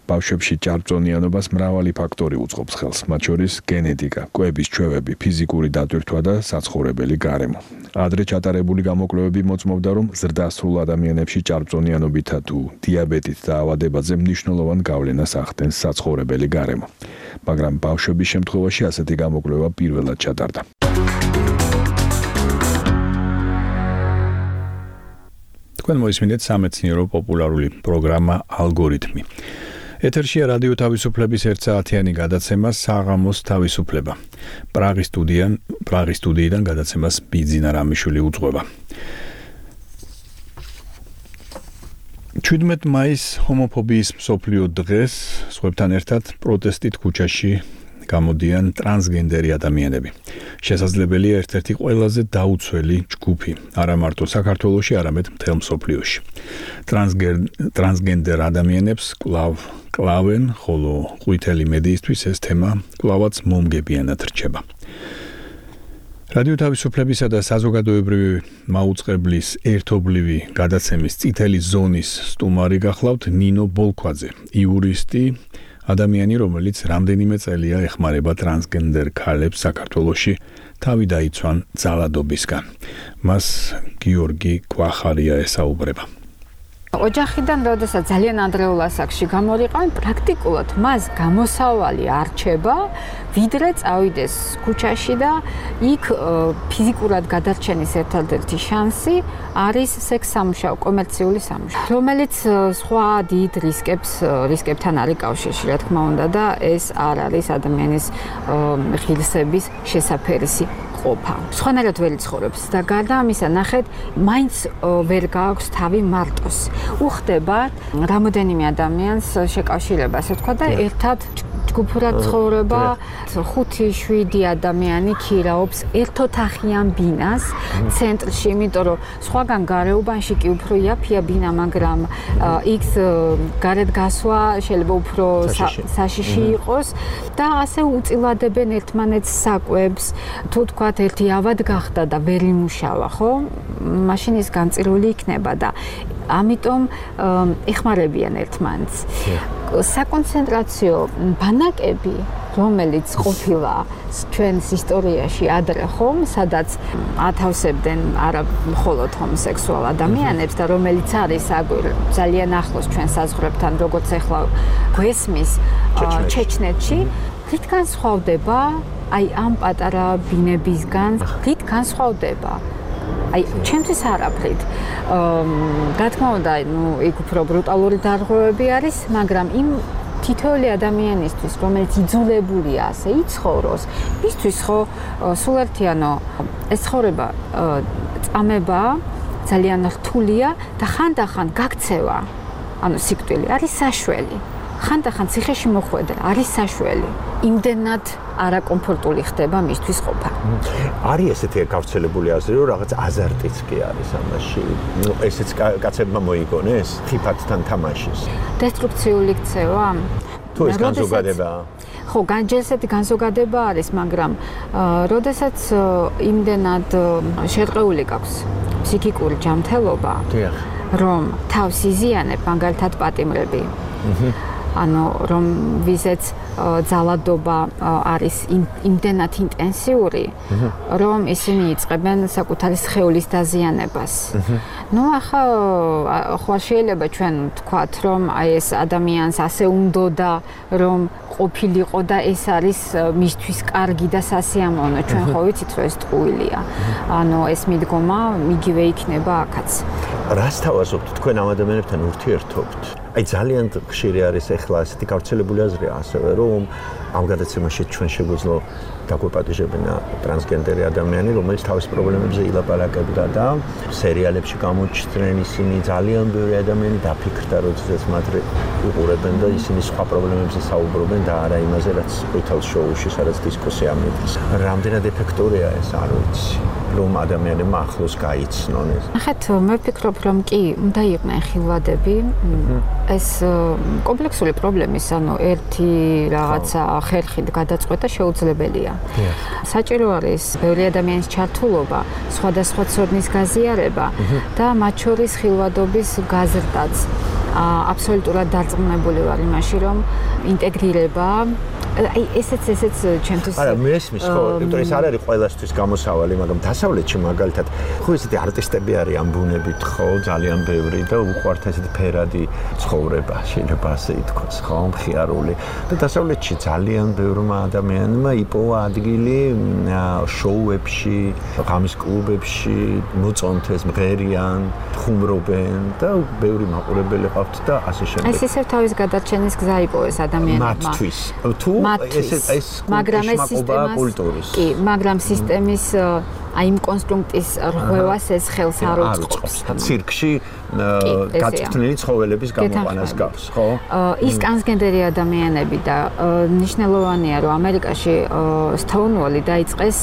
ბავშვებში ჭარბწონიანობას მრავალი ფაქტორი უწყობს ხელს, მათ შორის გენეტიკა, კვების ჩვევები, ფიზიკური დატვირთვა და საცხოვრებელი გარემო. ადრე ჩატარებული გამოკვლევები მოწმობდა, რომ ზრდასრულ ადამიანებში ჭარბწონიანობითა თუ დიაბეტით და ავადებაზე მნიშვნელოვან გავლენას ახდენს საცხოვრებელი გარემო. მაგრამ ბავშვების შემთხვევაში ასეთი გამოკვლევა პირველად ჩატარდა. თქვენ მოისმინეთ სამეცნიერო პოპულარული პროგრამა ალგორითმი. ეთერშია რადიო თავისუფლების 1 საათიანი გადაცემა საღამოს თავისუფლება. პრაღის სტუდიიდან გადაცემას ბიძინა რამიშვილი უძღვება. 17 მაისს ჰომოფობიის მსოფლიო დღეს სხვებთან ერთად პროტესტით ქუჩაში გამოდიან ტრანსგენდერი ადამიანები. შესაძლებელია ერთ-ერთი ყველაზე დაუცველი ჯგუფი, არა მარტო საქართველოში, არამედ მთელ მსოფლიოში. ტრანსგენდერ ადამიანებს კლავენ, ხოლო ყვითელი მედიისთვის ეს თემა კლავაც მომგებიანად რჩება. რადიო თავისუფლებისა და საზოგადოებრივი მაუწყებლის ერთობლივი გადაცემის წითელი ზონის სტუმარი გახლავთ ნინო ბოლქვაძე, იურისტი, ადამიანი, რომელიც რამდენიმე წელია ეხმარება ტრანსგენდერ ქალებს საქართველოში თავი დაიცვან ძალადობისგან. მას გიორგი კვახარია ესაუბრება. ოჯახიდან, როდესაც ძალიან ადრეულ ასაკში გამორიყავენ, პრაქტიკულად მას გამოსავალი არჩება, ვიდრე წავიდეს ქუჩაში და იქ ფიზიკურად გადარჩენის ერთადერთი შანსი არის სექს-სამუშაო, კომერციული სამუშაო, რომელიც სხვა დიდ რისკებთან არის კავშირში, რა თქმა უნდა, და ეს არ არის ადამიანის ღირსების შესაფერისი ყოფა. სხვანაირად ვერ იცხოვრებს და გარდა ამისა, ნახეთ, მაინც ვერ გააქვს თავი მარტოს. უხდება რამოდენიმე ადამიანს შეკავშირება, ასე ვთქვა და ერთად ჯგუფურად ცხოვრება 5-7 ადამიანი ქირაობს ერთოთახიან ბინას ცენტრში, იმიტომ რომ სხვაგან გარეუბანში კი უფრო იაფია ბინა, მაგრამ იქ გარეთ გასვლა შეიძლება უფრო საშიში იყოს და ასე უწილადებენ ერთმანეთს საკვებს. თუ თქვათ ერთი ავად გახდა და ვერ იმუშავა, ხო? მაშინ ის განწირული იქნება და ამიტომ ეხმარებიან ერთმანეთს. საკონცენტრაციო ბანაკები, რომელიც ყოფილა ჩვენს ისტორიაში ადრე ხომ, სადაც ათავსებდნენ არა მხოლოდ ჰომოსექსუალ ადამიანებს და რომელიც არის ძალიან ახლოს ჩვენ საზღვრებთან, როგორც ახლა გვესმის ჩეჩნეთში, რით განსხვავდება აი ამ პატარა ბინებისგან, რით განსხვავდება? აი, ჩემთვის არაფრით. რა თქმა უნდა, იქ უფრო ბრუტალური დარღვევები არის, მაგრამ იმ თითოეული ადამიანისთვის, რომელიც იძულებულია ასე იცხოვროს, მისთვის ხო სულ ერთიანო ეს ცხოვრება წამება ძალიან რთულია და ხანდახან გაქცევა, ანუ სიკვდილი არის საშველი. ხანდახან ციხეში მოხვედრა არის საშველი. იმდენად არაკომფორტული ხდება მისთვის ყოფა. არის ესეთი გავრცელებული აზრი, რომ რაღაც აზარტიც კი არის ამაში. ესეც კაცებმა მოიგონეს ხიფათთან თამაშის. დესტრუქციული ქცევა? თუ ეს განზოგადებაა? ხო, ესეთი განზოგადება არის, მაგრამ როდესაც იმდენად შერყეული გაქვს ფსიქიკური ჯანმრთელობა, რომ თავს იზიანებ, მაგალითად პატიმრები. ანუ რომ ვიზეც ძალადობა არის იმდენად ინტენსიური, რომ ისინი იწყებენ საკუთარი სხეულის დაზიანებას. ნუ ახლა ხო შეიძლება ჩვენ ვთქვათ, რომ აი ეს ადამიანს ასე უნდოდა, რომ ყოფილიყო და ეს არის მისთვის კარგი და სასიამოვნო. ჩვენ ხო ვიცით, რომ ეს ტყუილია. ანუ ეს მიდგომა იგივე იქნება აქაც. რას თავაზობთ თქვენ ამ ადამიანებთან ურთიერთობთ? აი ძალიან ხშირი არის ახლა ასეთი გავრცელებული აზრია ასევე, რომ ამ გადაცემაში ჩვენ შეგვეძლო დაგვეპატიჟებინა ტრანსგენდერი ადამიანი, რომელიც თავის პრობლემებზე ილაპარაკებდა და სერიალებში გამოჩნდნენ ისინი ძალიან ბევრი ადამიანი დაფიქრდა, როდესაც მათ უყურებენ და ისინი სხვა პრობლემებზე საუბრობენ და არა იმაზე, რაც ყვითელ შოუში, სადაც დისკუსია მიდის. რამდენად ეფექტურია ეს, არ ვიცი. რომ ადამიანებმა ახლოს გაიცნონ ეს. ახეთ მე ვფიქრობ, რომ კი, უნდა იყვნენ ხილვადები. ეს კომპლექსური პრობლემის, ანუ ერთი რაღაცა ხერხით გადაწყვეტა შეუძლებელია. საჭირო არის ბევრი ადამიანის ჩართულობა, სხვადასხვა ცოდნის გაზიარება და მათ შორის ხილვადობის გაზრდაც. აბსოლუტურად დარწმუნებული ვარ იმაში, რომ ინტეგრირება აი ესეც ჩემთვის არა მესმის ხო, იმიტომ ეს არ არის ყველასთვის გამოსავალი, მაგრამ დასავლეთში მაგალითად ხო ესეთი არტისტები არიან ბუნებით ხო, ძალიან ბევრი და უყვართ ესეთი ფერადი ცხოვრება, შეიძლება ასე ითქვას, ხო, მხიარული. და დასავლეთში ძალიან ბევრმა ადამიანმა იპოვა ადგილი შოუებში, ღამის კლუბებში, მოწონთეს, მღერიან, ხუმრობენ და ბევრი მაყურებელი ყავთ და ასე შემდეგ. ეს ისევ თავის გადარჩენის გზა იპოვეს ადამიანებმა. მათთვის. თუ ეს მაგრამ ეს კულტურის. კი, მაგრამ სისტემის აი იმ კონსტრუქტის რღვევას ეს ხელს არ უწყობს. ცირკში გაწვრთნილი ცხოველების გამოყვანას გავს, ხო? ის ტრანსგენდერი ადამიანები და ნიშნულოვანია, რომ ამერიკაში Stonewall-ი დაიწყეს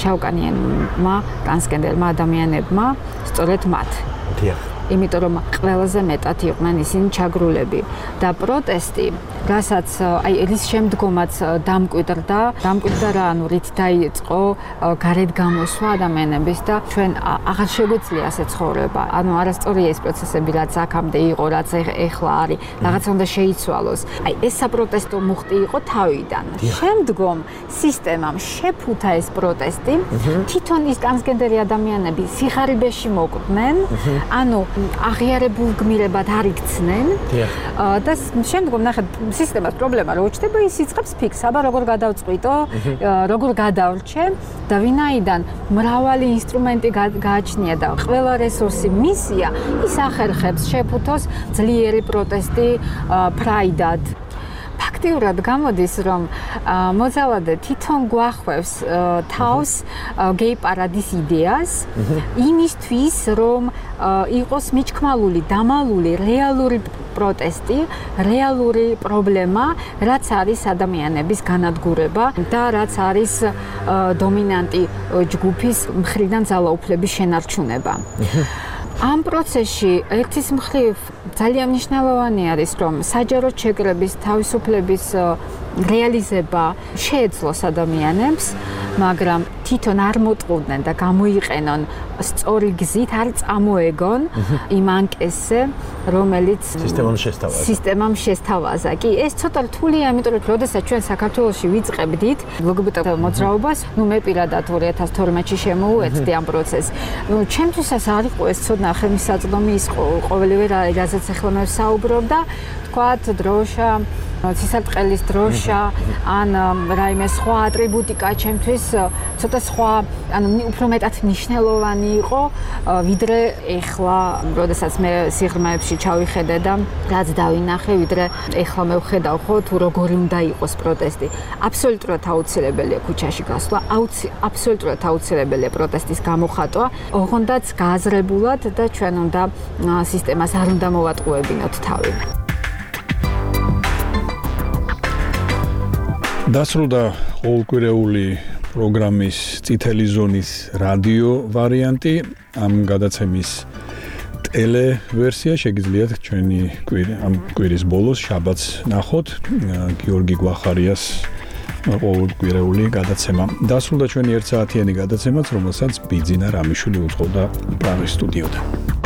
შავკანიანმა ტრანსგენდერმა ადამიანებმა, სწორედ მათ. დიახ. იმიტომ რომ ყველაზე მეტად იყვნენ ისინი ჩაგრულები და პროტესტი, რასაც აი რის შემდგომაც დამკვიდრდა რა, ანუ რით დაიწყო გარეთ გამოსვლა ადამიანების და ჩვენ აღარ შეგვიძლია ასე ცხოვრება. ანუ არასწორია ეს პროცესები, რაც აქამდე იყო, რაც ეხლა არის, რაღაცა უნდა შეიცვალოს. აი ეს საპროტესტო მუხტი იყო თავიდან. შემდგომ სისტემამ შეფუთა ეს პროტესტი, თვითონ ის ტრანსგენდერი ადამიანები სიხარიბეში მოკვდნენ, ანუ აღიარებულ გმირებად არ იქცნენ და შემდგომ ნახეთ სისტემას პრობლემა რო უჩნდება, ის იწყებს ფიქს, აბა როგორ გადავწყვიტო, როგორ გადავრჩე და ვინაიდან მრავალი ინსტრუმენტი გააჩნია და ყველა რესურსი მისია, ის ახერხებს შეფუთოს ძლიერი პროტესტი ფრაიდად. ფაქტიურად გამოდის, რომ მოძალადე თვითონ გვახვევს თავს გეი პარადის იდეას იმისთვის, რომ იყოს მიჩქმალული, დამალული რეალური პროტესტი რეალური პრობლემა, რაც არის ადამიანების განადგურება და რაც არის დომინანტი ჯგუფის მხრიდან ძალაუფლების შენარჩუნება. ამ პროცესში ერთის მხრივ ძალიან მნიშვნელოვანი არის, რომ საჯარო შეკრების თავისუფლების რეალიზება შეეძლოს ადამიანებს, მაგრამ თვითონ არ მოტყუდნენ და გამოიყენონ სწორი გზით, არ წამოეგონ იმ ანკესზე, რომელიც სისტემამ შესთავაზა. კი, ეს ცოტა რთულია, იმიტომ რომ როდესაც ჩვენ საქართველოში ვიწყებდით ლგბტ მოძრაობას, მე პირადად 2012-ში შემოვუერთდი ამ პროცესს. ჩემთვისაც არ იყო ეს ცოდნა ხელმისაწვდომი ის ყოველივე რაზეც ახლა მე ვსაუბრობ და თქვათ დროშა, ცისარტყელის დროშა, ან რაიმე სხვა ატრიბუტიკა ჩემთვის ცოტა სხვა, უფრო მეტად მნიშვნელოვანი იყო, ვიდრე ეხლა, როდესაც მე სიღრმეებში ჩავიხედე და რაც დავინახე, ვიდრე ეხლა მე ვხედავ ხო თუ როგორი უნდა იყოს პროტესტი. აბსოლუტურად აუცილებელია ქუჩაში გასვლა, აბსოლუტურად აუცილებელია პროტესტის გამოხატვა, ოღონდაც გააზრებულად და ჩვენ უნდა სისტემას არ უნდა მოვატყუებინოთ თავი. დასრულდა ყოველკვირეული პროგრამის წითელი ზონის რადიო ვარიანტი. ამ გადაცემის ტელე ვერსია შეგიძლიათ ჩვენი ამ კვირის ბოლოს შაბათს ნახოთ. გიორგი გვახარიას ყოველკვირეული გადაცემა. დასრულდა ჩვენი 1 საათიანი გადაცემაც, რომელსაც ბიძინა რამიშვილი უძღვოდა პრაღის სტუდიოდან.